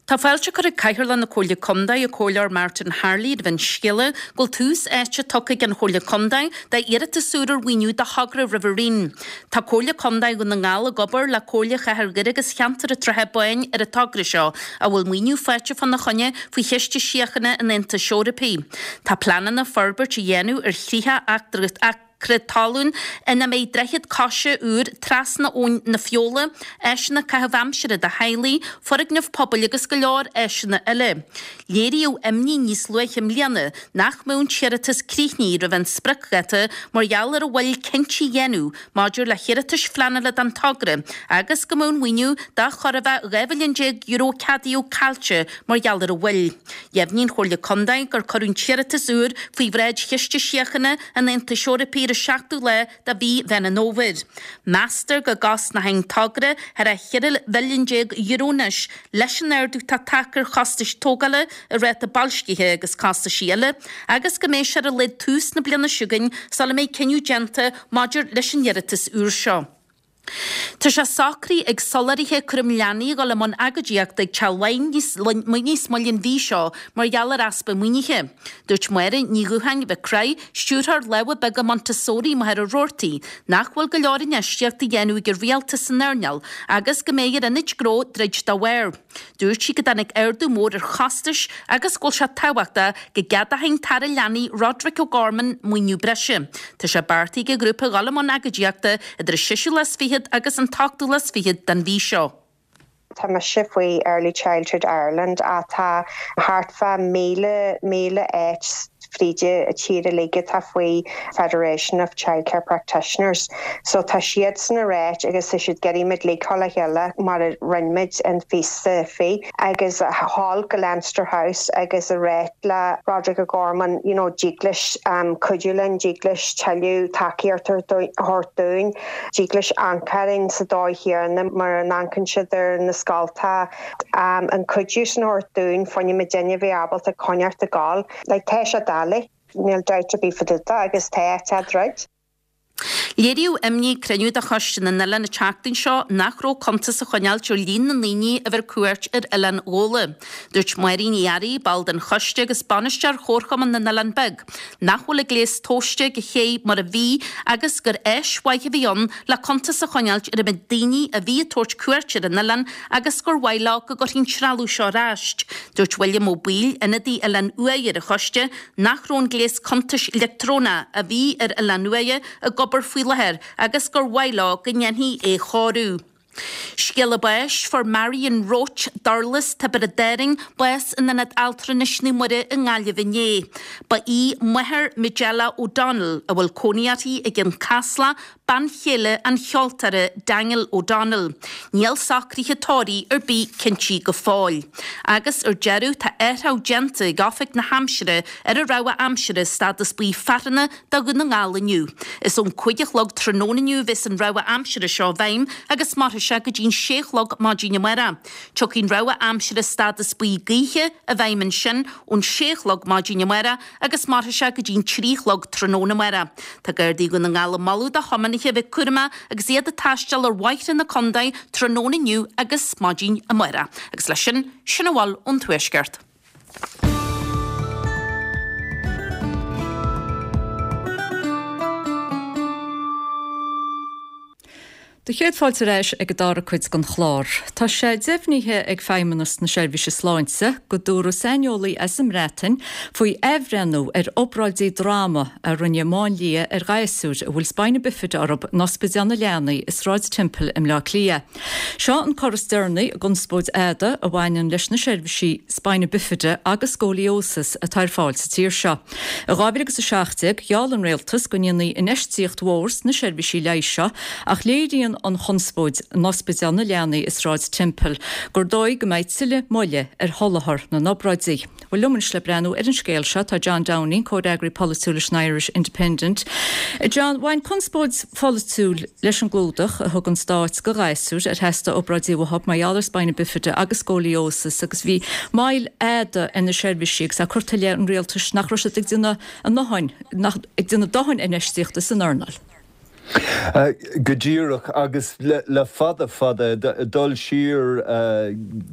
Tá fáilte curtha ag Cathaoirleach na Comhairle Contae, an Comhairleoir Martin Harley, roimh an scéala go bhfuil tús áite tugtha ag an Chomhairle Contae d'iarratas úr ar mhaoiniú do thogra Riverine. Tá Comhairle Contae Dhún na nGall ag obair le Comhairle Chathair Dhoire agus Cheantar an tSratha Báin ar an togra seo, a bhfuil maoiniú faighte fána choinne faoi Chiste Síochána an Aontais Eorpaigh. Tá pleananna forbairt a dhéanamh ar 30 acra talún ina mbeidh droichead coise úr trasna Abhainn na Feola, áiseanna caitheamh aimsire do theaghlaigh, foirgneamh pobail agus go leor áiseanna eile. Léiríodh imní níos luaithe i mbliana nach mbeadh an t-iarratas críochnaithe roimh an spriocdháta mar gheall ar an mhoill cinntí a dhéanamh maidir le hiarratais phleanála don togra agus go mbeadh an maoiniú de chóir a bheith €12 mhilliún a ceadaíodh caillte mar gheall ar an mhoill. Dheimhnigh an Chomhairle Contae gur cuireadh an t-iarratas úr faoi bhráid Chiste Síochána an Aontais Eorpaigh ar an seachtú lá de mhí Mheán an Fhómhair. Meastar go gcosnóidh an togra thar a €14 mhilliún anois leis an ardú atá tagtha ar chostais tógála, ar ráta boilscithe agus costaisí eile, agus go mbeidh sé ar a laghad tús na bliana seo chugainn sula mbeidh cinneadh déanta maidir leis an iarratas úr seo. Tá sé socraithe ag soláthraithe cúram leanaí a dhul i mbun agóidíochta ag Teach Laighean níos moille an mhí seo mar gheall ar easpa maoinithe. Dúirt Máire Ní Dhútháin Mhic Craith, Stiúrthóir Lámha Beaga Montessori i Machaire Rabhartaigh, nach bhfuil go leor infheistíochta á dhéanamh ag an rialtas san earnáil agus go mbeidh ar ionaid gnó troid dá bharr. Dúirt sí go dtáinig ardú mór ar chostais agus go bhfuil sé tábhachtach go gceadódh an tAire Leanaí Roderic O'Gorman maoiniú breise. Tá sé beartaithe ag an ghrúpa dhul i mbun agóidíochta idir an seisiú lá is fichead agus an t-ochtú lá is fichead den mhí seo. Tá mise faoi Early Childhood Ireland atá thart fá 1,000, 1,000 áit fríd an tír uilig atá faoi Federation of Childcare Practitioners. So tá siadsan ag ráit agus tá siad ag iarraidh muid uilig dhul le chéile mar a rinne muid in phíosa faoi agus a dhul go Leinster House agus a ráit le Roderic O'Gorman you know dtig leis cuidiú linn, dtig leis tuilleadh tacaíocht a thabhairt dúinn, dtig leis amharc orainn sa dóigh chéanna mar a amharcann siad ar na scoltacha, an cuidiú sin a thabhairt dúinn fá choinne muidinne a bheith ábalta coinneáilt ag gabháil. Like tá sé doiligh, níl dabht ar bith fá dtaobh de agus tá sé troid. Léiríodh imní ag cruinniú de Choiste na nOileán an tseachtain seo nach raibh cuntas á choinneáilt ar líon na ndaoine a bhí ar cuairt ar Oileán Ghabhla. Dúirt Máirín Uí Fhearraigh, ball den choiste agus bainisteoir Chomharchumann na nOileán Beag, nach bhfuil an gléas tomhaiste ag an ché mar a bhí agus gur áis mhaith a bhí ann le cuntas a choinneáilt ar an méid daoine a bhí ag tabhairt cuairt ar an oileán agus gur mhaith leo go gcuirfí an trealamh seo ar ais. Dúirt William Ó Baoill, ionadaí Oileán Uaighe ar an choiste, nach raibh an gléas cuntais leictreonach a bhí ar Oileán Uaighe ag obair faoi láthair agus gur mhaith leo go ndéanfaí é a chóiriú. Scéala báis, Fuair Marion Roche, Durlas, Tiobraid Árann, bás in Ionad Altranais Naomh Muire i nGaillimh inné. Ba í máthair Majella O'Donnell, a bhfuil cónaí uirthi i gCionn Caslach, bean chéile an cheoltóra Daniel O'Donnell. Níl socruithe tórraimh ar bith cinntí go fóill. Agus ar deireadh, tá athrach déanta ag Oifig na hAimsire ar an rabhadh aimsire stádas buí fearthanna do Dhún na nGall inniu. Is ón 5 a chlog tráthnóna inniu a bheas an rabhadh aimsire seo i bhfeidhm agus mairfidh sé go dtí'n 6 a chlog maidin amárach. Tiocfaidh an rabhadh aimsire stádas buí gaoithe i bhfeidhm ansin ón 6 a chlog maidin amárach agus mairfidh sé go dtí'n 3 a chlog tráthnóna amárach. Tá Gardaí Dhún na nGall ag moladh do thiománaithe a bheith cúramach agus iad ag taisteal ar bhóithre na contae tráthnóna inniu agus maidin amárach. Agus leis sin, sin a bhfuil ón Tuaisceart. Do chéad fáilte ar ais ag an dara cuid den chlár. Tá sé deimhnithe ag Feidhmeannas na Seirbhíse Sláinte go dtabharfaidh saineolaí as an mBreatain faoi athbhreithniú ar obráidí droma a rinne máinlia ar ghasúir a bhfuil spina bifida orthu in Ospidéal na Leanaí i Sráid Temple i mBleá Cliath. Seo an cor is deireanaí i gconspóid fhada a bhaineann leis na seirbhísí spina bifida agus scoliosis atá ar fáil sa tír seo. I 2017, gheall an rialtas go ndéanfaí infheistíocht mhór sna seirbhísí leighis seo ach léiríonn an chonspóid in Ospidéal na Leanaí i Sráid Temple gur dóigh go mbeidh tuilleadh moille ar sholáthar na n-obráidí. Bhuel, liom anois le breathnú ar an scéal seo tá John Downing, comhfhreagraí polaitiúil leis an Irish Independent. John, bhain conspóid pholaitiúil leis an gclúdach a thug an Stát do ghasúir ar theastaigh obráidí uathu mar gheall ar spina bifida agus scoliosis agus bhí moill fhada ar na seirbhísí agus é curtha i leith an rialtais nach raibh siad ag déanamh a ndóthain, ag déanamh dóthain infheistíochta san earnáil. Go díreach, agus le fada fada, dul siar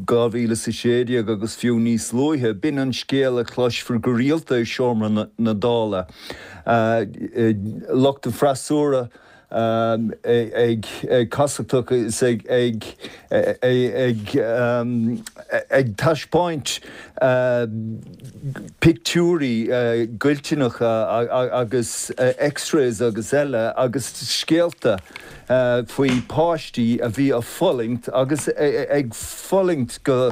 2016 agus fiú níos luaithe, b'in an scéal a chloisfear go rialta i seomra na Dála. Lucht an freasúra ag casachtach is ag ag taispeáint pictiúirí goilteanacha agus x-rays agus eile agus scéalta faoi páistí a bhí ag fulaingt agus ag fulaingt go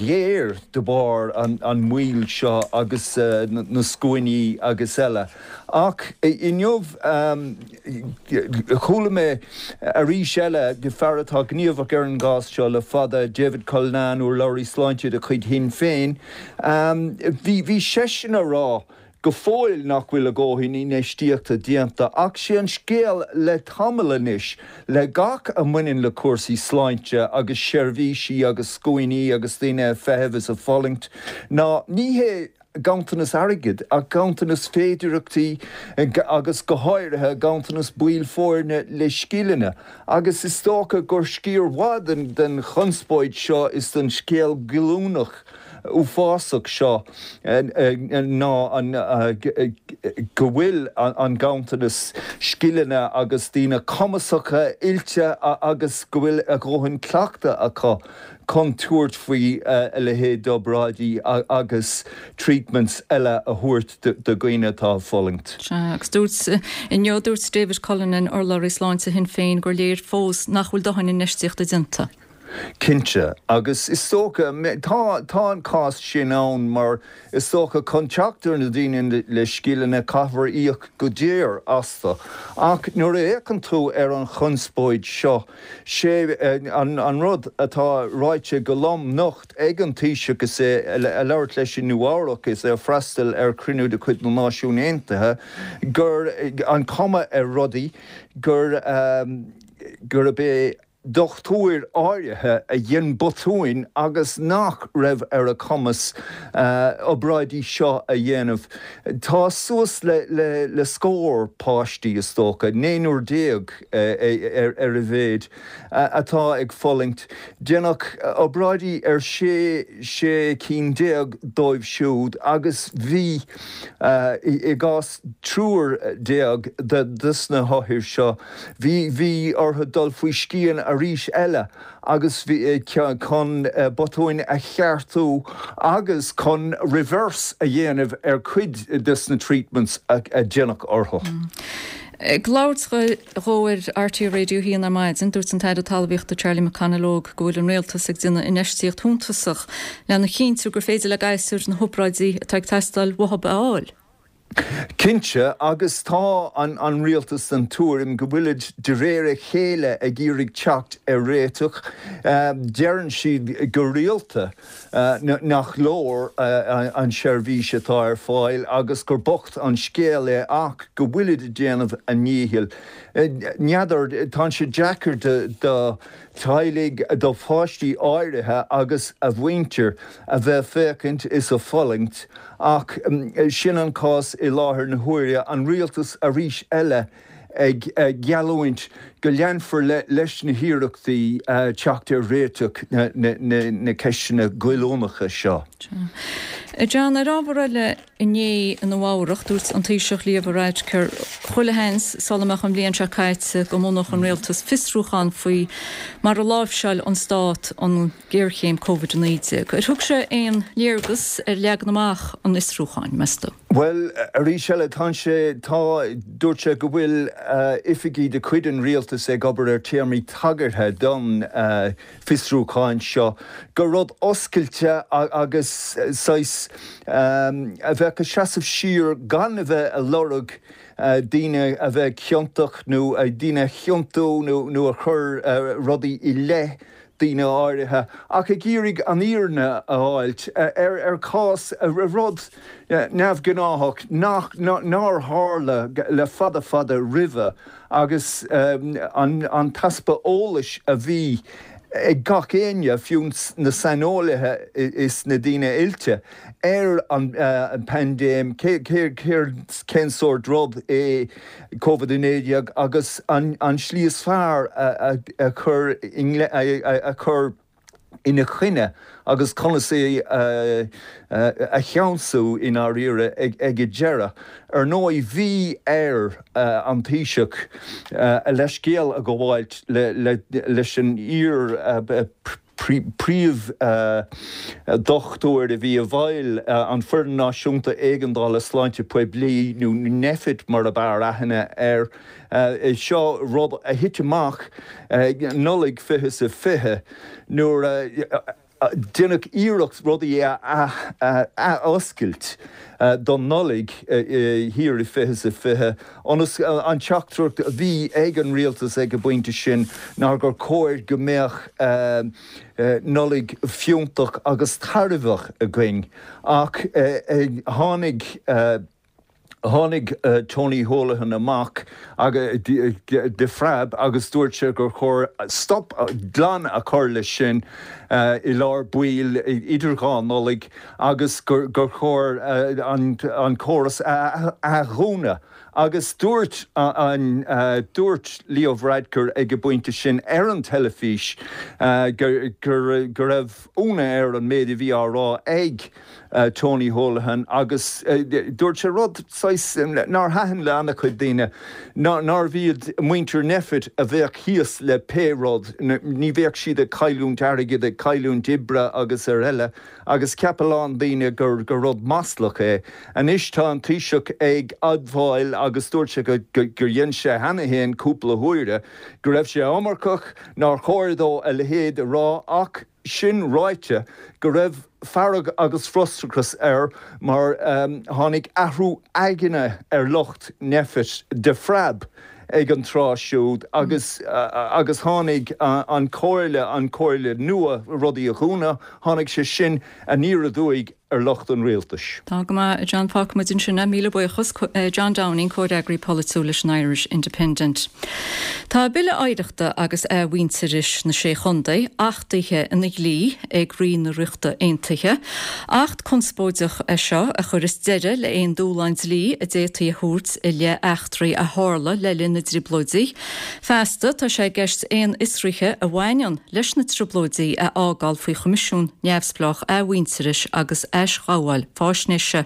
géar de bharr an moill seo agus na scuainí agus eile. Ach inniu chuala mé arís eile fear atá gníomhach ar an gcás seo le fada, David Cullinane, urlabhraí sláinte de chuid Shinn Féin, bhí seisean a rá go fóill nach bhfuil a dhóthain infheistíochta déanta ach sé an scéal le tamall anois le gach a mbaineann le cúrsaí sláinte agus seirbhísí agus scuainí agus daoine ag feitheamh is ag fulaingt ná ní hé. ganntanas airgid ach ganntanas féidireachtaí agus go háirithe ganntanas baill foirne le scileanna agus is dócha gur sciar mhaith den chonspóid seo is den scéal goilliúnach uafásach seo ná an go bhfuil an ganntanas scileanna agus daoine cumasacha, oilte agus go bhfuil a dhóthain cleachtaidh acu chun tabhairt faoi a leithéid d'obráidí agus treatments eile a thabhairt do dhaoine atá ag fulaingt. Sea, agus dúirt, inniu, dúirt David Cullinane, urlabhraí sláinte Shinn Féin, gur léir fós nach bhfuil dóthain infheistíochta déanta. Cinnte, agus is dócha, tá, tá an cás sin ann mar is dócha chun teacht ar na daoine le scileanna caithfear íoc go daor astu. Ach nuair a fhéachann tú ar an chonspóid seo, sé an rud atá ráite go lom nocht ag an Taoiseach is é ag labhairt leis i Nua Eabhrac is é ag freastal ar chruinniú de chuid na Náisiún Aontaithe gur an chuma ar rudaí gur gurb é dochtúir áirithe a dhein botúin agus nach raibh ar a cumas obráidí seo a dhéanamh. Tá suas le scór páistí, is dócha, naonúr déag ar a mhéid, atá ag fulaingt. Deineadh obráidí ar sé 16 cinn dóibh siúd agus bhí, i gcás triúr déag de na hothair seo, Bhí, bhí orthu dul faoi scian arís eile agus bhí, chun botúin a cheartú agus chun reverse a dhéanamh ar cuid des na treatments a deineadh orthu. Ag labhairt dhó ar RTÉ Radio 1 ar maidin, dúirt an tAire Talmhaíochta Charlie McConalogue go bhfuil an Rialtas ag déanamh infheistíocht shuntasach lena chinntiú gur féidir le gasúir na hobráidí atá ag teastáil uathu a fháil. Cinnte, agus tá an Rialtas den tuairim go bhfuilid de réir a chéile ag iarraidh teacht ar réiteach. Deireann siad go rialta nach leor an tseirbhís atá ar fáil agus gur bocht an scéal é ach go bhfuilid ag déanamh a ndíchill. N'fheadar, tá sé deacair do teaghlaigh, do pháistí áirithe agus a mhuintir a bheith ag féachaint is ag fulaingt Ach sin an cás i láthair na huaire, an rialtas arís eile ag geallúint go leanfar leis na hiarrachtaí teacht ar réiteach na ceisteanna goilliúnacha seo. John, ar ábhar eile, inné i Nua Eabhrach, dúirt an Taoiseach Leo Varadkar chuile sheans sula mbeadh an bhliain seo caite go mbunódh an rialtas fiosrúchán faoi mar a láimhseáil an stát an ghéarchéim Covid-19. Ar thug sé aon léargas ar leagan amach an fhiosrúcháin, meas tú? Bhuel, arís eile, tá sé, tá, dúirt sé go bhfuil oifigigh de chuid an rialtais ag obair ar téarmaí tagartha don fiosrúchán seo, gur rud oscailte agus saghas a bheadh ag seasamh siar gan a bheith ag lorg daoine a bheith ciontach nó daoine a chiontú nó a chur rudaí i leith daoine áirithe, ach ag iarraidh an fhírinne a fháilt ar chás, ar rud neamhghnáthach nach, nár tharla le fada fada roimhe agus an t-easpa eolais a bhí ag gach éinne, fiú na saineolaithe is na daoine oilte, ar an bpaindéim, cén sórt rud é Covid-19 agus an tslí is fearr a chur a chur ina choinne agus conas é a cheansú i ndáiríre ag an deireadh. Ar ndóigh, bhí ar an Taoiseach a leithscéal a ghabháilt leis an iar príomh-dhochtúir a bhí i bhfeighil an Foireann Náisiúnta Éigeandála Sláinte Poiblí, nó Nphet mar ab fhearr aithne air. Seo rud a thit amach Nollaig 2020 nuair a deineadh iarracht rudaí a ath-oscailt don Nollaig thiar i 2020 ionas an teachtaireacht a bhí ag an rialtas ag an bpointe sin ná gur chóir go mbeadh Nollaig fiúntach agus tairbheach againn ach tháinig. Tháinig Tony Holohan amach de phreab agus dúirt sé gur chóir stop glan a chur leis sin i lár baill idir dhá Nollaig agus gur chóir an córas a athdhúnadh. Agus dúirt an dúirt Leo Varadkar ag an bpointe sin ar an teilifís go raibh ionadh air an méid a bhí á rá ag Tony Holohan agus dúirt sé rud saghas nár thaitin le an-chuid daoine, nárbh iad muintir Nphet a bheadh thíos le pé rud, ní bheadh siad ag cailliúint airgid, ag cailliúint oibre agus ar eile agus cheap a lán daoine gur rud maslach é. Anois tá an Taoiseach ag admháil agus dúirt sé gur dhein sé cheana féin cúpla huaire go raibh sé iomarcach, nár chóir dó a leithéid a rá ach, Sin ráite, go raibh fearg agus frustrachas air mar tháinig athrú aigne ar lucht Nphet de phreab ag an tráth siúd agus agus tháinig an chomhairle, an chomhairle nua rudaí a dhúnadh, tháinig sé sin aniar aduaidh ar lucht an rialtais. Tá go maith, a John. Fágfaidh muid ansin é. Míle buíochas. John Downing, Comhfhreagraí Polaitiúil leis an Irish Independent. Tá Bille Oidhreachta agus Athmhuintearais na Sé Chontae achtaithe ina dhlí ag Rí na Ríochta Aontaithe. Acht conspóideach é seo a chuireas deireadh le aon dúshlán dlí a d'fhéadfaí a thabhairt i leith eachtraí a tharla le linn na dTrioblóidí. Feasta, tá sé i gceist aon fhiosruithe a bhaineann leis na Trioblóidí a fhágáil faoi Choimisiún neamhspleách athmhuintearais agus aisghabháil faisnéise.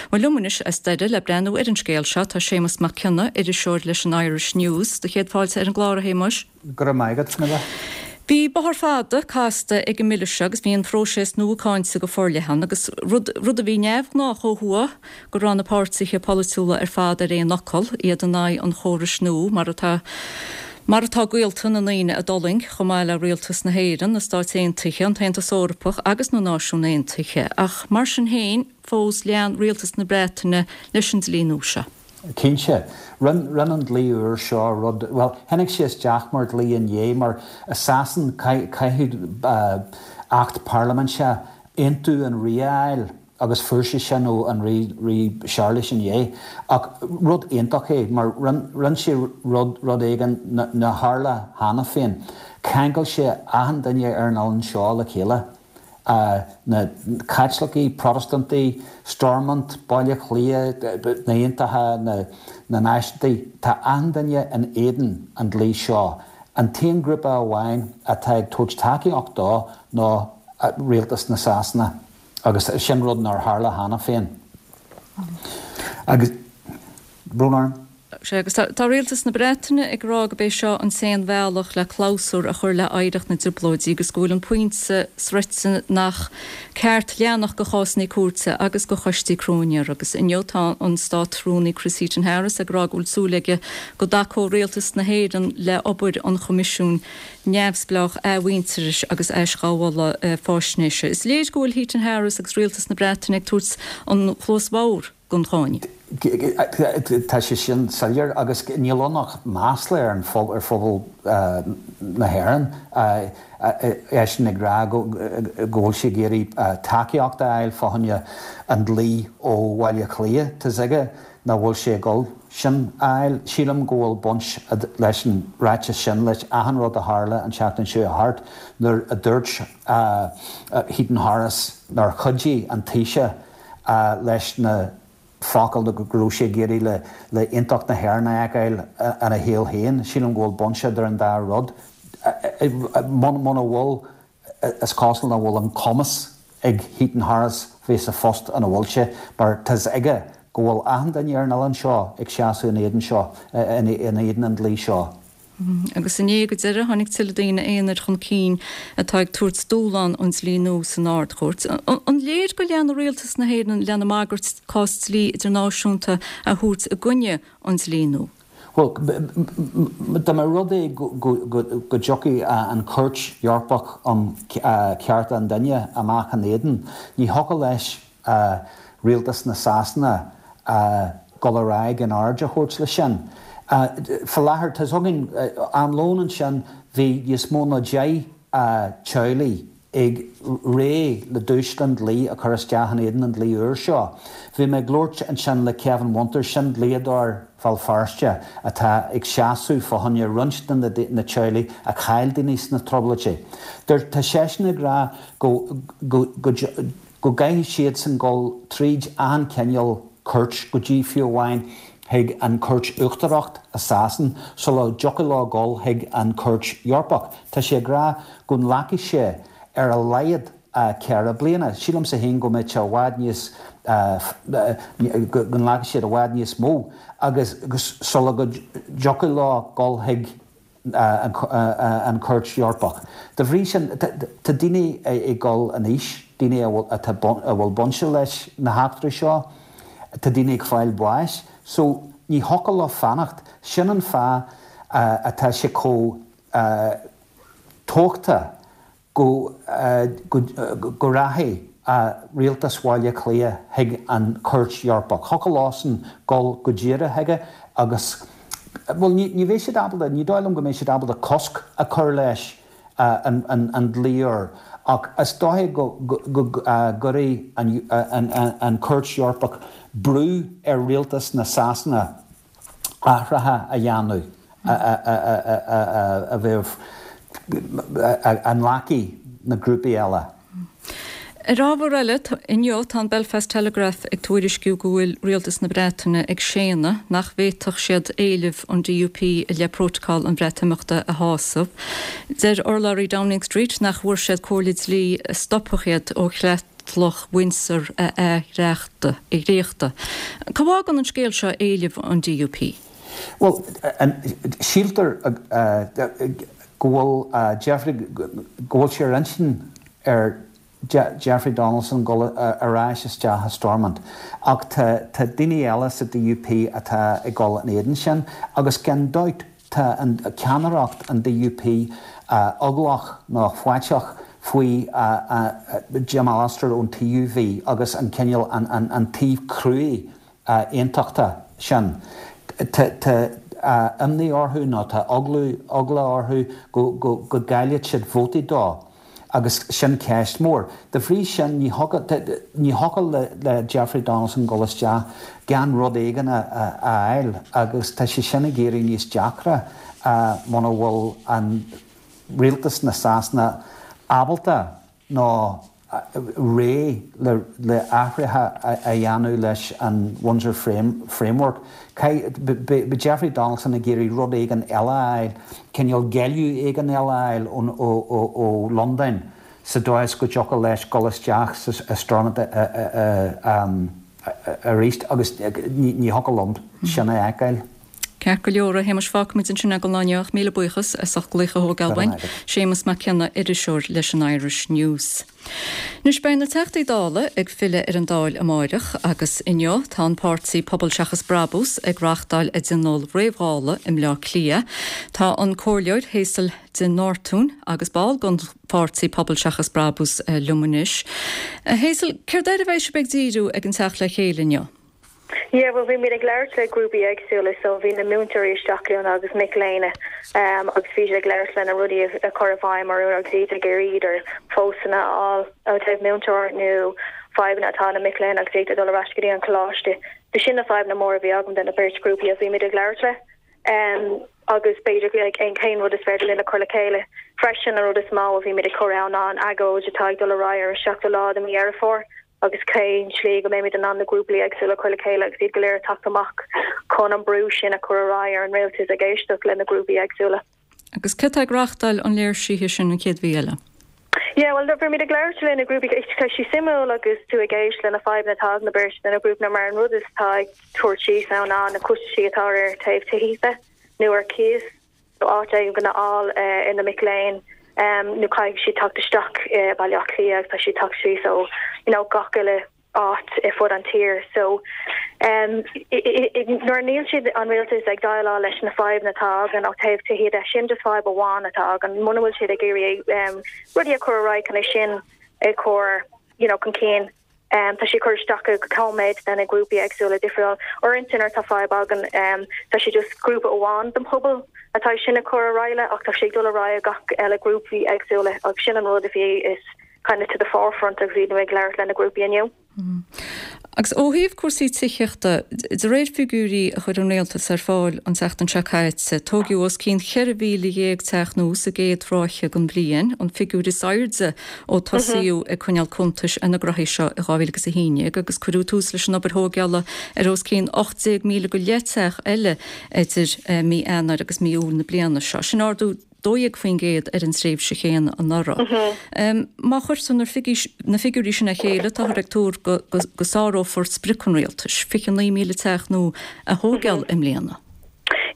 Bhuel, liom anois as Doire le breathnú ar an scéal seo tá Séamus Mac Cionnaith, iriseoir leis an Irish News. Do chéad fáilte ar an gclár, a Shéamuis. Go raibh maith agat, Nuala. Bhí bóthar fada casta ag an mbille seo agus bhí an próiseas nua cáinte go forleathan agus rud, rud a bhí neamhghnách ó thuaidh, go raibh na páirtithe polaitiúla ar fad ar aon fhocal, iad in aghaidh an chórais nua, mar atá mar atá gaolta na ndaoine a d'fhulaing, chomh maith le rialtas na hÉireann, na Stáit Aontaithe, an tAontas Eorpach agus na Náisiúin Aontaithe. Ach mar sin féin, fós lean rialtas na Breataine leis an dlí nua seo. Cinnte. Rinne an dlí úr seo rud, bhuel, tháinig sé isteach mar dhlí inné, mar i Sasain caithfidh Acht Parlaiminte aontú an Rí a fháil. agus fuair sé sin ó an Rí, Rí Séarlas inné. Ach rud iontach é mar rinne sé rud, rud éigin nár tharla cheana féin. Cheangail sé achan duine ar an oileán seo le chéile. Na Caitlicigh, Protastúnaigh, Stormont, Baile Átha Cliath, na hAontaithe, na Náisiúntaigh, tá achan duine in éadan an dlí seo. An t-aon grúpa amháin atá ag tabhairt tacaíocht dó ná rialtas na Sasana. Agus sin rud nár tharla cheana féin. Agus, brón orm. Sea, agus tá rialtas na Breataine ag rá gurb é seo an t-aon bhealach le clabhsúr a chur le hoidhreacht na dTrioblóidí agus go bhfuil an pointe sroichte nach ceart leanacht de chásanna cúirte agus de choistí cróinéara. Agus inniu tá an Státrúnaí Chris Heaton-Harris ag rá go bhfuil súil aige go dtacóidh rialtas na hÉireann le obair an Choimisiúin neamhspleách athmhuintearais agus aisghabhála faisnéise. Is léir go bhfuil Heaton Harris agus rialtas na Breataine ag tabhairt an chluas bhodhar don cháineadh. Tá sé sin soiléir agus níl ann ach masla ar phobal na hÉireann, eisean ag rá go bhfuil sé ag iarraidh tacaíocht a fháil fá choinne an dlí ó Bhaile Átha Cliath. Tá's aige nach bhfuil sé ag dul sin a fháil. Sílim go bhfuil baint leis an ráiteas sin leis achan rud a tharla an tseachtain seo thart nuair a dúirt Heaton Harris nár chuidigh an Taoiseach leis na focail go raibh sé ag iarraidh le aontacht na hÉireann a fheiceáil ina shaol féin. Sílim go bhfuil baint idir an dá rud. Muna bhfuil Is cosúil nach bhfuil an cumas ag Heaton Harris bheith sa phost ina bhfuil sé mar tá's aige go bhfuil achan duine ar an oileán seo ag seasamh in éadan seo, in éadan an dlí seo. Agus inné go deireadh tháinig tuilleadh daoine aonair chun cinn atá ag tabhairt dúshlán an dlí nua san Ard-Chúirt. An léir go leanfaidh rialtas na hÉireann lena mbagairt cás dlí idirnáisiúnta a thabhairt i gcoinne an dlí nua? Bhuel, dá mba rud é go dtiocfaidh an Chúirt Eorpach um Chearta an Duine amach ina éadan, ní thiocfadh leis rialtas na Sasana dul ar aghaidh in aird a thabhairt leis sin. Faoi láthair, tá's againn, am lóin ansin, bhí níos mó ná 10 teaghlaigh. ag réidh le dúshlán dlí a chur isteach in éadan an dlí úr seo. Bhí mé ag labhairt ansin le Kevin Winters, sin dlíodóir Bhéal Feirste atá ag seasamh fá choinne roinnt de na teaghlaigh a chaill daoine sna trioblóidí. Tá seisean ag rá go go go go gcaithfidh siadsan dul tríd achan cineál cúirt, go dtí fiú amháin chuig an Chúirt Uachtarach i Sasain sula dtiocfadh leo dul chuig an Chúirt Eorpach. Tá sé ag rá go nglacfaidh sé ar a laghad 4 bliana. Sílimse féin go mbeidh sé i bhfad níos, go nglacfaidh siad i bhfad níos mó agus sula go dtiocfadh leo dul chuig an Chúirt Eorpach. Dá bhrí sin, tá daoine ag dul in aois, daoine a bhfuil baint leis na heachtraí seo, tá daoine ag fáil bháis, so ní thiocfadh leo fanacht. Sin an fáth atá sé chomh tábhachtach go go rachaidh Rialtas Bhaile Átha Cliath chuig an Chúirt Eorpach. Thiocfadh leosan dul go díreach chuige agus, bhuel, ní bheidh siad ábalta, ní dóigh liom go mbeidh siad ábalta cosc a chur leis an dlí úr, ach is dóiche go gcuirfidh an Chúirt Eorpach brú ar Rialtas na Sasana athruithe a dhéanamh a bheadh, a nglacfaidh na grúpaí eile. Ar ábhar eile, inniu tá an Belfast Telegraph ag tuairisciú go bhfuil Rialtas na Breataine ag séanadh nach bhféadfadh siad éilimh an DUP i leith Prótacal an Bhreatimeachta a shásamh. Deir urlabhraí Downing Street nach bhfuair siad comhairle dlí a stopfadh iad ó Chreatlach Windsor a athdhréachtadh. Cá bhfágann an scéal seo éilimh an DUP? Bhuel, síltear go bhfuil Jeffrey, go bhfuil sé ar intinn ar Jeffrey Donaldson dul ar ais isteach i Stormont ach tá daoine eile sa DUP atá ag dul in éadan sin agus gan dabht Tá an ceannaireacht an DUP eaglach nó faiteach faoi Jim Allister ón TUV agus an cineál, an taobh cruaidh aontachtach sin. Tá imní orthu nó tá eagla orthu go gcaillfidh siad vótaí dó. Agus sin ceist mór. Dá bhrí sin, ní thiocfadh le Jeffrey Donaldson dul isteach gan rud éigin a fháil agus tá sé sin ag éirí níos deacra muna bhfuil an rialtas na Sasana ábalta nó réidh le athruithe a dhéanamh leis an Windsor Framework. Beidh Jeffrey Donaldson ag iarraidh rud éigin eile a fháil, cineál géilleadh éigin eile a fháil ó Londain sa dóigh is go dtiocfadh leis dul isteach sa Stormont arís agus ní thiocfadh liom sin a fheiceáil. Ceart go leor, a Shéamais, fágfaimid ansin é don lá inniu ach míle buíochas as ucht glaoch a thógáil uainn. Séamus Mac Cionnaith, iriseoir leis an Irish News. Anois beidh na Teachtaí Dála ag filleadh ar an Dáil amáireach agus inniu tá an páirtí Pobal Seachas Brabús ag reáchtáil a dtionól réamh-Dhála i mBleá Cliath. Tá an Comhairleoir Hazel de Nortúin agus ball den pháirtí Pobal Seachas Brabús liom anois. A Hazel, céard air a bheidh sibh ag díriú ag an teacht le chéile inniu? Yeah, bhuel bhí muid ag labhairt le grúpaí éagsúla so bhí na múinteoirí isteach linn agus mic léinn agus bhí siad ag labhairt lena rudaí a chur i bhfeidhm orthu agus iad ag iarraidh idir postanna a fháil ó taobh múinteoir nó fadhbanna atá na mic léinn agus iad ag dul ar ais go dtí an coláiste. So sin na fadhbanna móra a bhí agam de na beirt grúpaí a bhí muid ag labhairt le agus b'fhéidir like aon cén rud is féidir linn a chur le chéile. Freisin an rud is mó a bhí muid ag cur ann ná an agóid atá ag dul ar aghaidh ar an seachtú lá de mhí Dheireadh Fómhair. agus cén tslí go mbeimid in ann na grúpaí éagsúla a chur le chéile agus iad go léir ag teacht amach chun an brú sin a chur ar aghaidh ar an rialtas ag éisteacht le na grúpaí éagsúla. Agus cé atá ag reáchtáil an léirsithe sin an chéad mhí eile? Yeah, bhuel, bhí muid ag labhairt le na grúpaí, tá sé suimiúil agus tú ag éist le na fadhbanna atá ag na beirt de na grúpanna mar an rud is atá ag tabhairt síos ann ná na costaisí atá ar taobh tithíochta nó ar cíos. nó áit éigin a fháil ar na mic léinn nó caithfidh siad teacht isteach i Baile Átha Cliath agus tá siad teacht síos ó you know gach uile áit i fud an tír so nuair níl siad an rialtas ag déileáil leis na fadhbanna atá againn ó taobh tithíochta de sin just fadhb amháin atá againn muna bhfuil siad ag iarraidh rudaí a chur ar aghaidh chun é sin a chur you know chun cinn. Tá sé ag cur isteach go cóiméad méid de na grúpaí éagsúla difriúil. Uaireanta nuair atá fadhb againn tá sé just grúpa amháin den pobal atá sin ag cur ar aghaidh le ach tá sé ag dul ar aghaidh gach eile grúpaí éagsúla agus sin an rud a bhí is. kind of to the forefront agus iad ag labhairt le na grúpaí inniu. Agus ó thaobh cúrsaí tithíochta, de réir figiúirí a chuir an Rialtas ar fáil an tseachtain seo caite, tóigeadh os cionn 14,000 teach nua sa gcéad ráithe den bhliain, an figiúr is airde ó tosaíodh ag coinneáil cuntais ar na graithí seo i 2011, agus cuireadh tús leis an obair thóigeála ar os cionn 18,000 go leith teach eile idir mí Eanáir agus mí Iúil na bliana seo. Sin ardú 12% ar an tréimhse chéanna anuraidh. Má chuirtear na figiúirí sin le chéile, táthar ag tuar go sárófar sprioc an rialtais, 29,000 teach nua a thóigeáil i mbliana.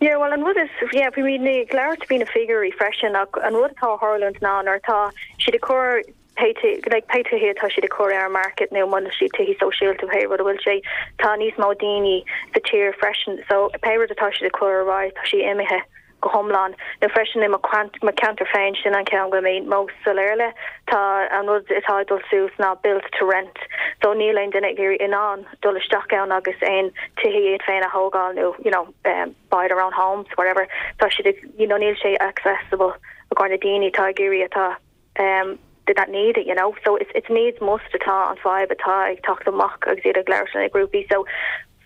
Yeah, bhuel an rud is, yeah, bhí muid ag labhairt faoi na figiúirí freisin ach an rud atá ag tarlúint ná nuair atá siad ag cur pé like pé tithe atá siad ag cur ar an market nó muna siad tithí sóisialta pé rud a bhfuil sé, tá níos mó daoine sa tír freisin so pé rud atá siad ag cur ar aghaidh tá sí imithe go hiomlán. Nó freisin i mo mo cheantar féin sin an ceann go bhfuil mé most soiléir le, tá an rud atá ag dul suas ná build to rent so níl aon duine ag iarraidh in ann dul isteach ann agus aon tithe iad féin a thógáil nó you know um, buy their own homes whatever tá siad ag you know níl sé accessible i gcomhair na daoine atá ag iarraidh atá um, that need it, you know. So it's, it's needs must atá an fadhb atá ag teacht amach agus iad ag labhairt na grúpaí. So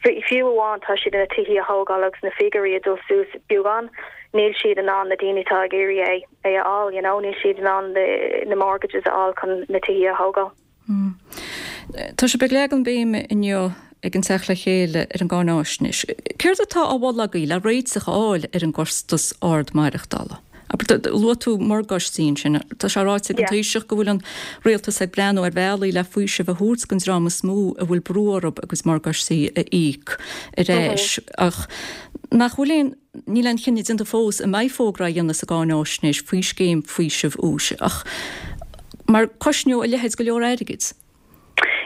fiú amháin tá siad na tithe a thógáil agus na figiúirí ag dul suas beagán, níl siad in ann na daoine atá ag iarraidh é é a fháil, you know, níl siad in ann na mortgages a fháil chun na tithe a thógáil. Tá sibh ag leagan béime inniu ag an Teacht le Chéile ar an gcáináisnéis. Céard atá á mholadh agaibh le réiteach a fháil ar an gcostas ard maireachtála? Luaigh tú morgáistí ansin. Tá sé ráite ag an Taoiseach go bhfuil an rialtas ag breathnú ar bhealaí le faoiseamh a thabhairt don dream is mó a bhfuil brú orthu a gcuid morgáistí a íoc ar ais. Ach nach bhfuil aon Níl aon chinneadh déanta fós an mbeidh fógra á dhéanamh sa gcáináisnéis faoi scéim faoisimh úis ach mar cosnóidh a leithéid go leor airgid.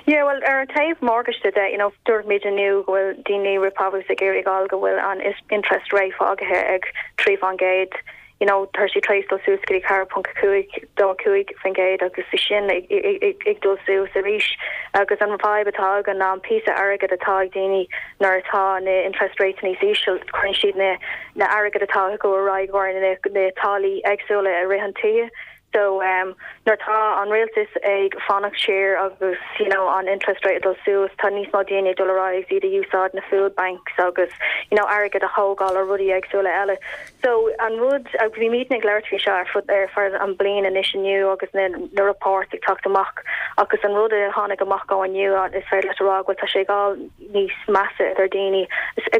Yeah, well, ar an taobh morgáiste de, you know, dúirt muid inniu go bhfuil daoine roimh phabhús ag iarraidh fháil go bhfuil an interest rate fágaithe ag 3%. you know, tá sé tar éis dul suas go dtí 4.5 25% agus é sin ag dul suas arís agus an fadhb atá againn ná an píosa airgead atá ag daoine nuair atá na interest rates níos íseal, cuireann siad na na airgead atá acu ar aghaidh ar na na táillí éagsúla i rith an tithe. So um nuair atá an rialtas ag fanacht siar agus you know an interest rate ag dul suas, tá níos mó daoine ag dul ar aghaidh agus iad ag úsáid na food banks agus you know airgead a thógáil ar rudaí éagsúla eile. So an rud, agus bhí muidne ag labhairt faoi seo ar fud ar feadh an bliain anois inniu agus na na reports ag teacht amach agus an rud a tháinig amach ó inniu is féidir leat a rá go bhfuil tá sé ag dul níos measa idir daoine,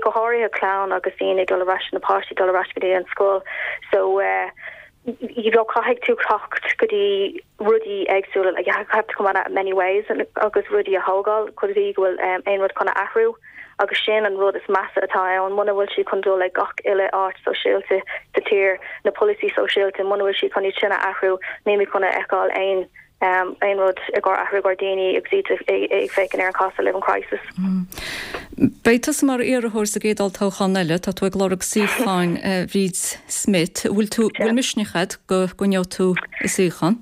go háirithe clann agus daoine ag dul ar ais, na páistí ag dul ar ais go dtí an scoil. So eh you know caithfidh tú teacht go dtí rudaí éagsúla like you have to come at it many ways agus rudaí a thógáil go dtí go bhfuil um, aon rud chun a athrú agus sin an rud is measa atá ann muna bhfuil siad chun dul ag gach uile áit sóisialta sa tír na polasaí sóisialta muna bhfuil siad chun iad sin a athrú níl chun a fheiceáil aon um, aon rud i gcomhair athrú i gcomhair daoine agus iad ag féachaint ar an cost of living crisis. Beidh tusa mar iarrthóir sa gcéad olltoghchán eile, tá tú ag lorg suíocháin Bhríd Smith. Bhfuil tú, bhfuil misneach agat go gcoinneoidh tú a suíochán?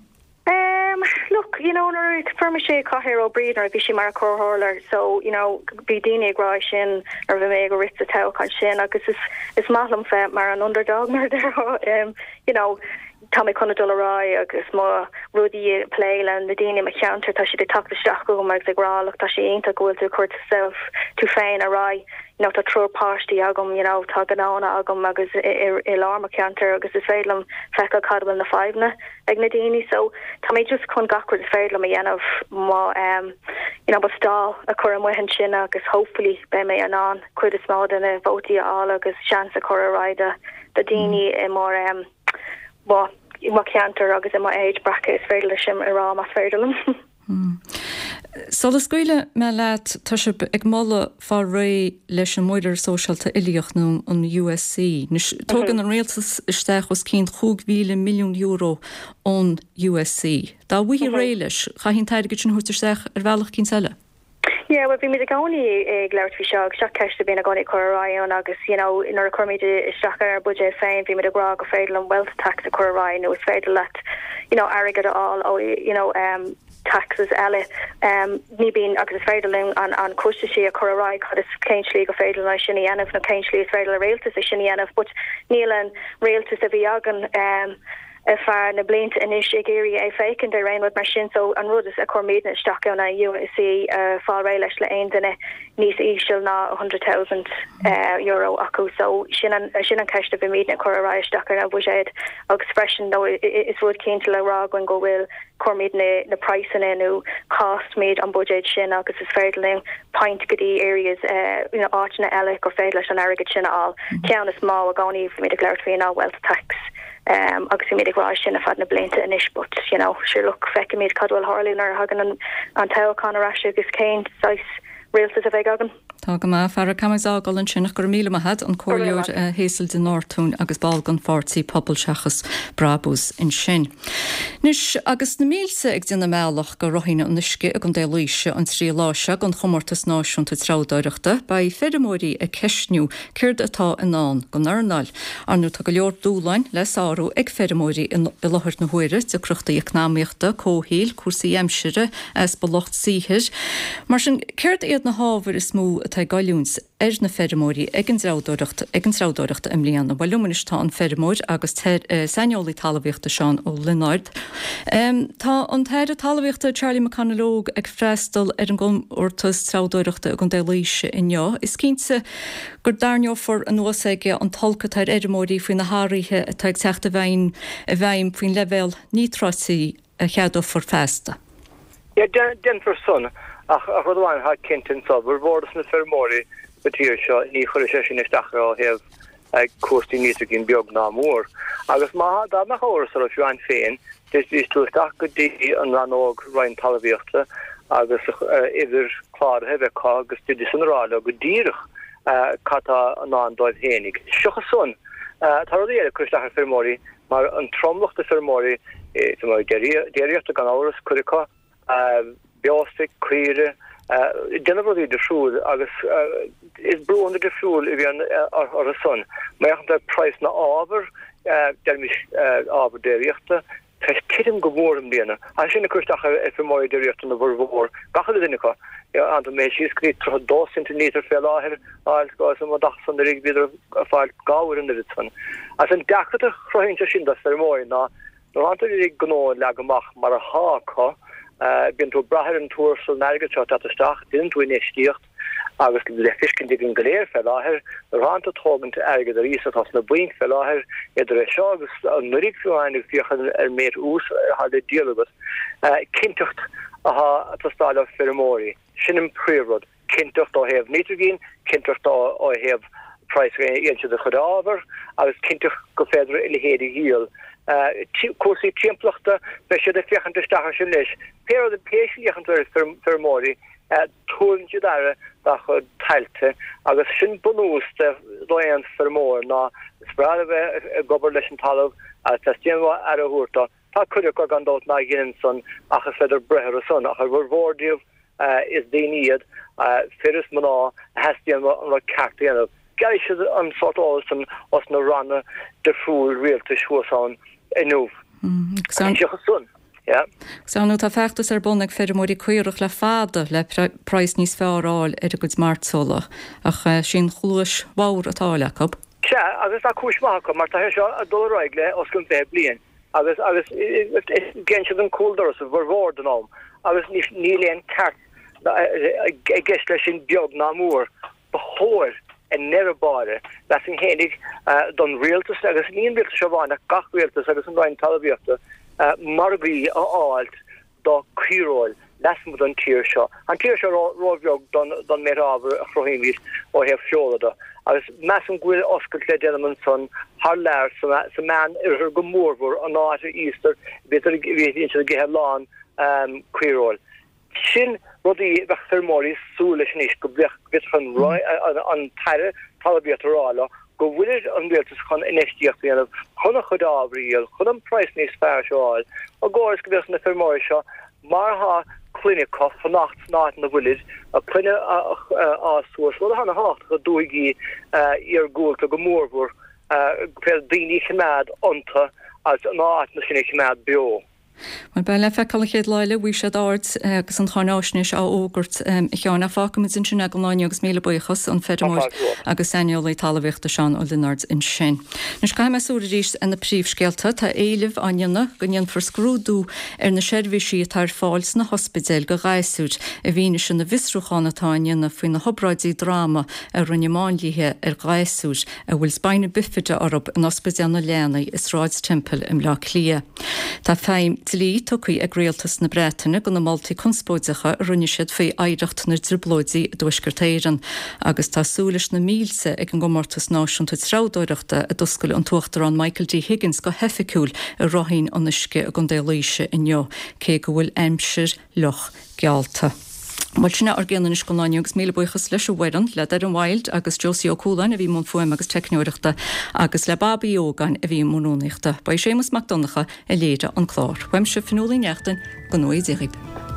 Um, look, you know, nuair a fuair mise cathaoir ó Bríd nuair a bhí sí mar comhairleoir, so, you know, bhí daoine ag rá sin nuair a bhí mé ag rith sa toghchán sin agus is, is maith liom bheith mar an underdog mar a déarfá, um, you know, Tá mé chun a dul ar aghaidh agus mo rudaí a plé le na daoine i mo cheantar, tá siad ag teacht isteach chugam agus ag rá look tá sé iontach go bhfuil tú ag cur yourself, tú féin ar aghaidh, you know tá triúr páistí agam, you know tá gnónna agam agus i lár mo cheantar agus is féidir liom feiceáil cad a bhfuil na fadhbanna ag na daoine so tá mé just chun gach rud is féidir liom a dhéanamh mo um you know mo stall a chur amuigh ansin agus hopefully beidh mé in ann cuid is mó de na vótaí a fháil agus seans a chur ar aghaidh do do daoine i mo um mo mo cheantar agus i mo age bracket is féidir leis sin a rá más féidir liom. Sula scaoilfidh mé leat, tá sibh ag moladh fáil réidh leis an Muirear Sóisialta Uilíoch nó an USC. Anois, tógann an rialtas isteach os cionn €5,000 milliún ón USC. Dá bhfaighfí réidh leis, chaithfí an t-airgead sin a thabhairt isteach ar bhealach eicínt eile. Yeah, well bímid i gcónaí ag labhairt faoi seo agus seo ceist a bhíonn i gcónaí ag cur ar aghaidh ann agus you know nuair a chuirimid isteach ar ár buidéad féin bímid ag rá gur féidir liom wealth tax a chur ar aghaidh nó is féidir leat you know airgead a fháil ó you know um taxes eile um ní bíonn agus is féidir linn an an costaisí a chur ar aghaidh cad is cén slí gur féidir linn é sin a dhéanamh nó cén slí is féidir le rialtas é sin a dhéanamh but níl an rialtas a bhí againn um. Ar feadh na blianta anois ag iarraidh é féachaint ar aon rud mar sin so an rud is a chuir muidne isteach ann ná USC a fáil réidh leis le aon duine níos íseal ná €100,000 acu so sin an sin an ceist a bhí muidne ag cur ar aghaidh isteach ar an bhuiséad agus freisin nó is rud cinnte le rá againn go bhfuil chuir muid na praghsanna nó cost muid an buiséad sin agus is féidir linn point go dtí areas you know áiteanna eile gur féidir leis an airgead sin a fháil. Ceann is mó i gcónaí bhí muid ag labhairt faoi ná wealth tax agus bhí muid ag rá sin ar feadh na blianta anois but you know sure look feicfimid cad bhfuil tharlú nuair a thagann an an toghchán ar ais agus cén saghas rialtas a bheidh againn. Tá go maith, a Farah. Caithfidh muid fhágáil ansin ach go raibh míle maith a't, an Comhairleoir Hazel de Nortúin agus ball den pháirtí Pobal Seachas Brabús ansin. Anois, agus na mílte ag déanamh a mbealach go Ráithín an Uisce i gContae Laoise an trí lá seo don chomórtas náisiúnta treabhdóireachta, beidh feirmeoirí ag ceistniú céard atá i ndán don earnáil. Ar ndóigh tá go leor dúshláin le sárú ag feirmeoirí i láthair na huaire, deacrachtaí eacnamaíochta, comhshaoil, cúrsaí aimsire, easpa lucht saothair. Mar sin, céard iad na hábhair is mó atá ag goilliúint ar na feirmeoirí ag an dtreabhdóireacht ag an treabhdóireacht i mbliana? Bhuel, liom anois tá an feirmeoir agus saineolaí talmhaíochta Seán Ó Lionáird. Tá an tAire Talmhaíochta Charlie McConalogue ag freastal ar an gcomórtas treabhdóireachta i gContae Laoise inniu. Is cinnte go dtarraingeofar anuas aige an t-olc atá ar fheirmeoirí faoi na hathruithe atá ag teacht i bhfeidhm i bhfeidhm faoin leibhéal níotráití a cheadófar feasta. Yeah, déanfar san, ach rud amháin atá cinnte anso, formhór dos na feirmeoirí sa tír seo, ní chuirfidh sé sin isteach orthu ó thaobh cúrsaí nítrigine beag ná mór. Agus má, dá mbeadh amhras orthu fiú amháin féin, d'fhéadfaidís dul isteach go dtí an rannóg Roinn Talmhaíochta agus uimhir cláraithe a bheith acu agus d'fhéadfaidís san a rá leo go díreach cad tá i ndán dóibh fhéinig. Seachas san, tá rudaí eile ag cur isteach ar feirmeoirí, Mar an tromlach de feirmeoirí, feirmeoirí déiríochta gan amhras, cuid acu, beostoic, caoire, déanamh rudaí difriúil agus is brúnna difriúil a bhíonn orthu san. Má fhéachann tú ar praghas na ábhar, deirimis ábhar déiríochta, tá sé ag titim go mór i mbliana. Tá sin ag cur isteach ar feirmeoirí déiríochta na bhformhór, gach uile duine acu. Tá mé síos go dtí 32 cent an lítear fé láthair, agus an dach san uilig bhíodar ag fáil dhá uair an oiread san. Agus an deacracht a chruthaíonn sé sin do feirmeoirí ná nuair atánn tú ag gnó a leagadh amach mar athá acu, bíonn tú ag brath ar an tuarastal an airgead seo ag teacht isteach, déanann tú infheistíocht agus le feiscint againn go léir fé láthair, nuair atánn tú ag tógaint airgead ar iasacht os na bainc fé láthair, idir é seo agus anuraidh fiú amháin ag féachaint ar an méid ús atá le díol agat, cinnteacht athá ag teastáil ó feirmeoirí. Sin an príomhrud. cinnteacht ó thaobh nítrigine, cinnteacht ó thaobh praghas a fhaigheann siad a chuid ábhar agus cinnteacht gur féidir a leithéid a dhíol. Cúrsaí timpeallachta, beidh siad ag féachaint isteach air sin leis. Pé rud, pé slí a fhéachann tú ar feirmeoirí, tabharann siad aire dá chuid tailte agus sin bunús d'aon feirmeoir ná is breá a bheith ag obair leis an talamh agus teastaíonn uathu aire a thabhairt dó. Tá cuid acu gan dabht ná dheineann san ach is féidir breith orthu san ach ar bhformhór díobh is daoine iad, fir is mná, a theastaíonn uathu an rud ceart a dhéanamh. Gearrfaidh siad an sórt eolas san os na ranna difriúil rialtais thuas ann inniu. Seachas san, yeah. Agus ar ndóigh tá feachtas ar bun ag feirmeoirí caorach le fada le praghas níos fearr a fháil ar a gcuid mairteola ach sí an chluais bhodhar atá á fháil acu. Sea, agus tá cúis mhaith acu mar tá sé seo ag dul ar aghaidh le os cionn 20 bliain agus agus déanann siad an cúl doras a bhformhór den am agus níl aon ceart i gceist leis sin beag ná mór. Ba chóir i ndeireadh báire, mheasfainn fhéinig, don rialtas agus ní an rialtas seo amháin ach gach rialtas agus an Roinn Talmhaíochta margaí a fháilt do caoireoil lasmuigh den tír seo. An tír seo ró-bheag don méid ábhair a chruthaímid ó thaobh feola de, agus measaim go bhfuil oscailt le déanamh ansan thar lear, sa Meán Oirthear go mórmhór, an áit a íostar, bíonn siad ag ithe a lán caoireoil. Sin rudaí a bheadh feirmeoirí ag súil leis anois, go bhféadfadh an tAire Talmhaíochta a rá leo go bhfuil an rialtas chun infheistíocht a dhéanamh chun a chuid ábhair a dhíol, chun an praghas níos fearr seo a fháil, i gcóir is go bhféadfadh na feirmeoirí seo, mar atá clainne acu, fanacht san áit ina bhfuilid, a gclainne a fhás suas, rud atá ana thábhachtach i dúthaigí iargúlta go mórmhór, go féidir daoine a choimeád iontu agus na áiteanna sin a choimeád beo. Bhuel, beidh le feiceáil an chéad lá eile, bhfaighidh siad aird agus an cháináisnéis á fhógairt, a Sheáin. Ach fágfaimid ansin é don lá inniu agus míle buíochas, an feirmeoir agus saineolaí talmhaíochta Seán Ó Lionáird ansin. Anois caithfidh mé súil arís ar na príomhscéalta. Tá éileamh á ndéanamh go ndéanfar scrúdú ar na seirbhísí atá ar fáil sna hospidéil do ghasúir i bhfianaise na bhfiosrúchán atá á ndéanamh faoi na hobráidí droma a rinne máinliaithe ar ghasúir a bhfuil spina bifida orthu in Ospidéal na Leanaí i Sráid Temple i mBleá Cliath. Tá feidhm dlí tugtha ag Rialtas na Breataine do na moltaí conspóideacha a rinne siad faoi oidhreacht na dTrioblóidí i dTuaisceart Éireann agus tá súil leis na mílte ag an gcomórtas náisiúnta treabhdóireachta a d'oscail an tUachtarán Michael D Higgins go hoifigiúil i Ráithín an Uisce i gContae Laoise inniu cé go bhfuil aimsir fhliuch geallta. Bhuel, sin é ár gcion anois don lá inniu agus míle buíochas leis an bhfoireann, le Doireann Wilde agus Josie Ó Cualáin a bhí i mbun fuaime agus teicneoireachta agus le Bobby Uí Ógáin a bhí i mbun rúnaíochta. Ba í Séamus Mac Donncha a léirigh an clár. Uaimse, Fionnuala Ní Neachtain, go ngnóthaí Dia dhaoibh.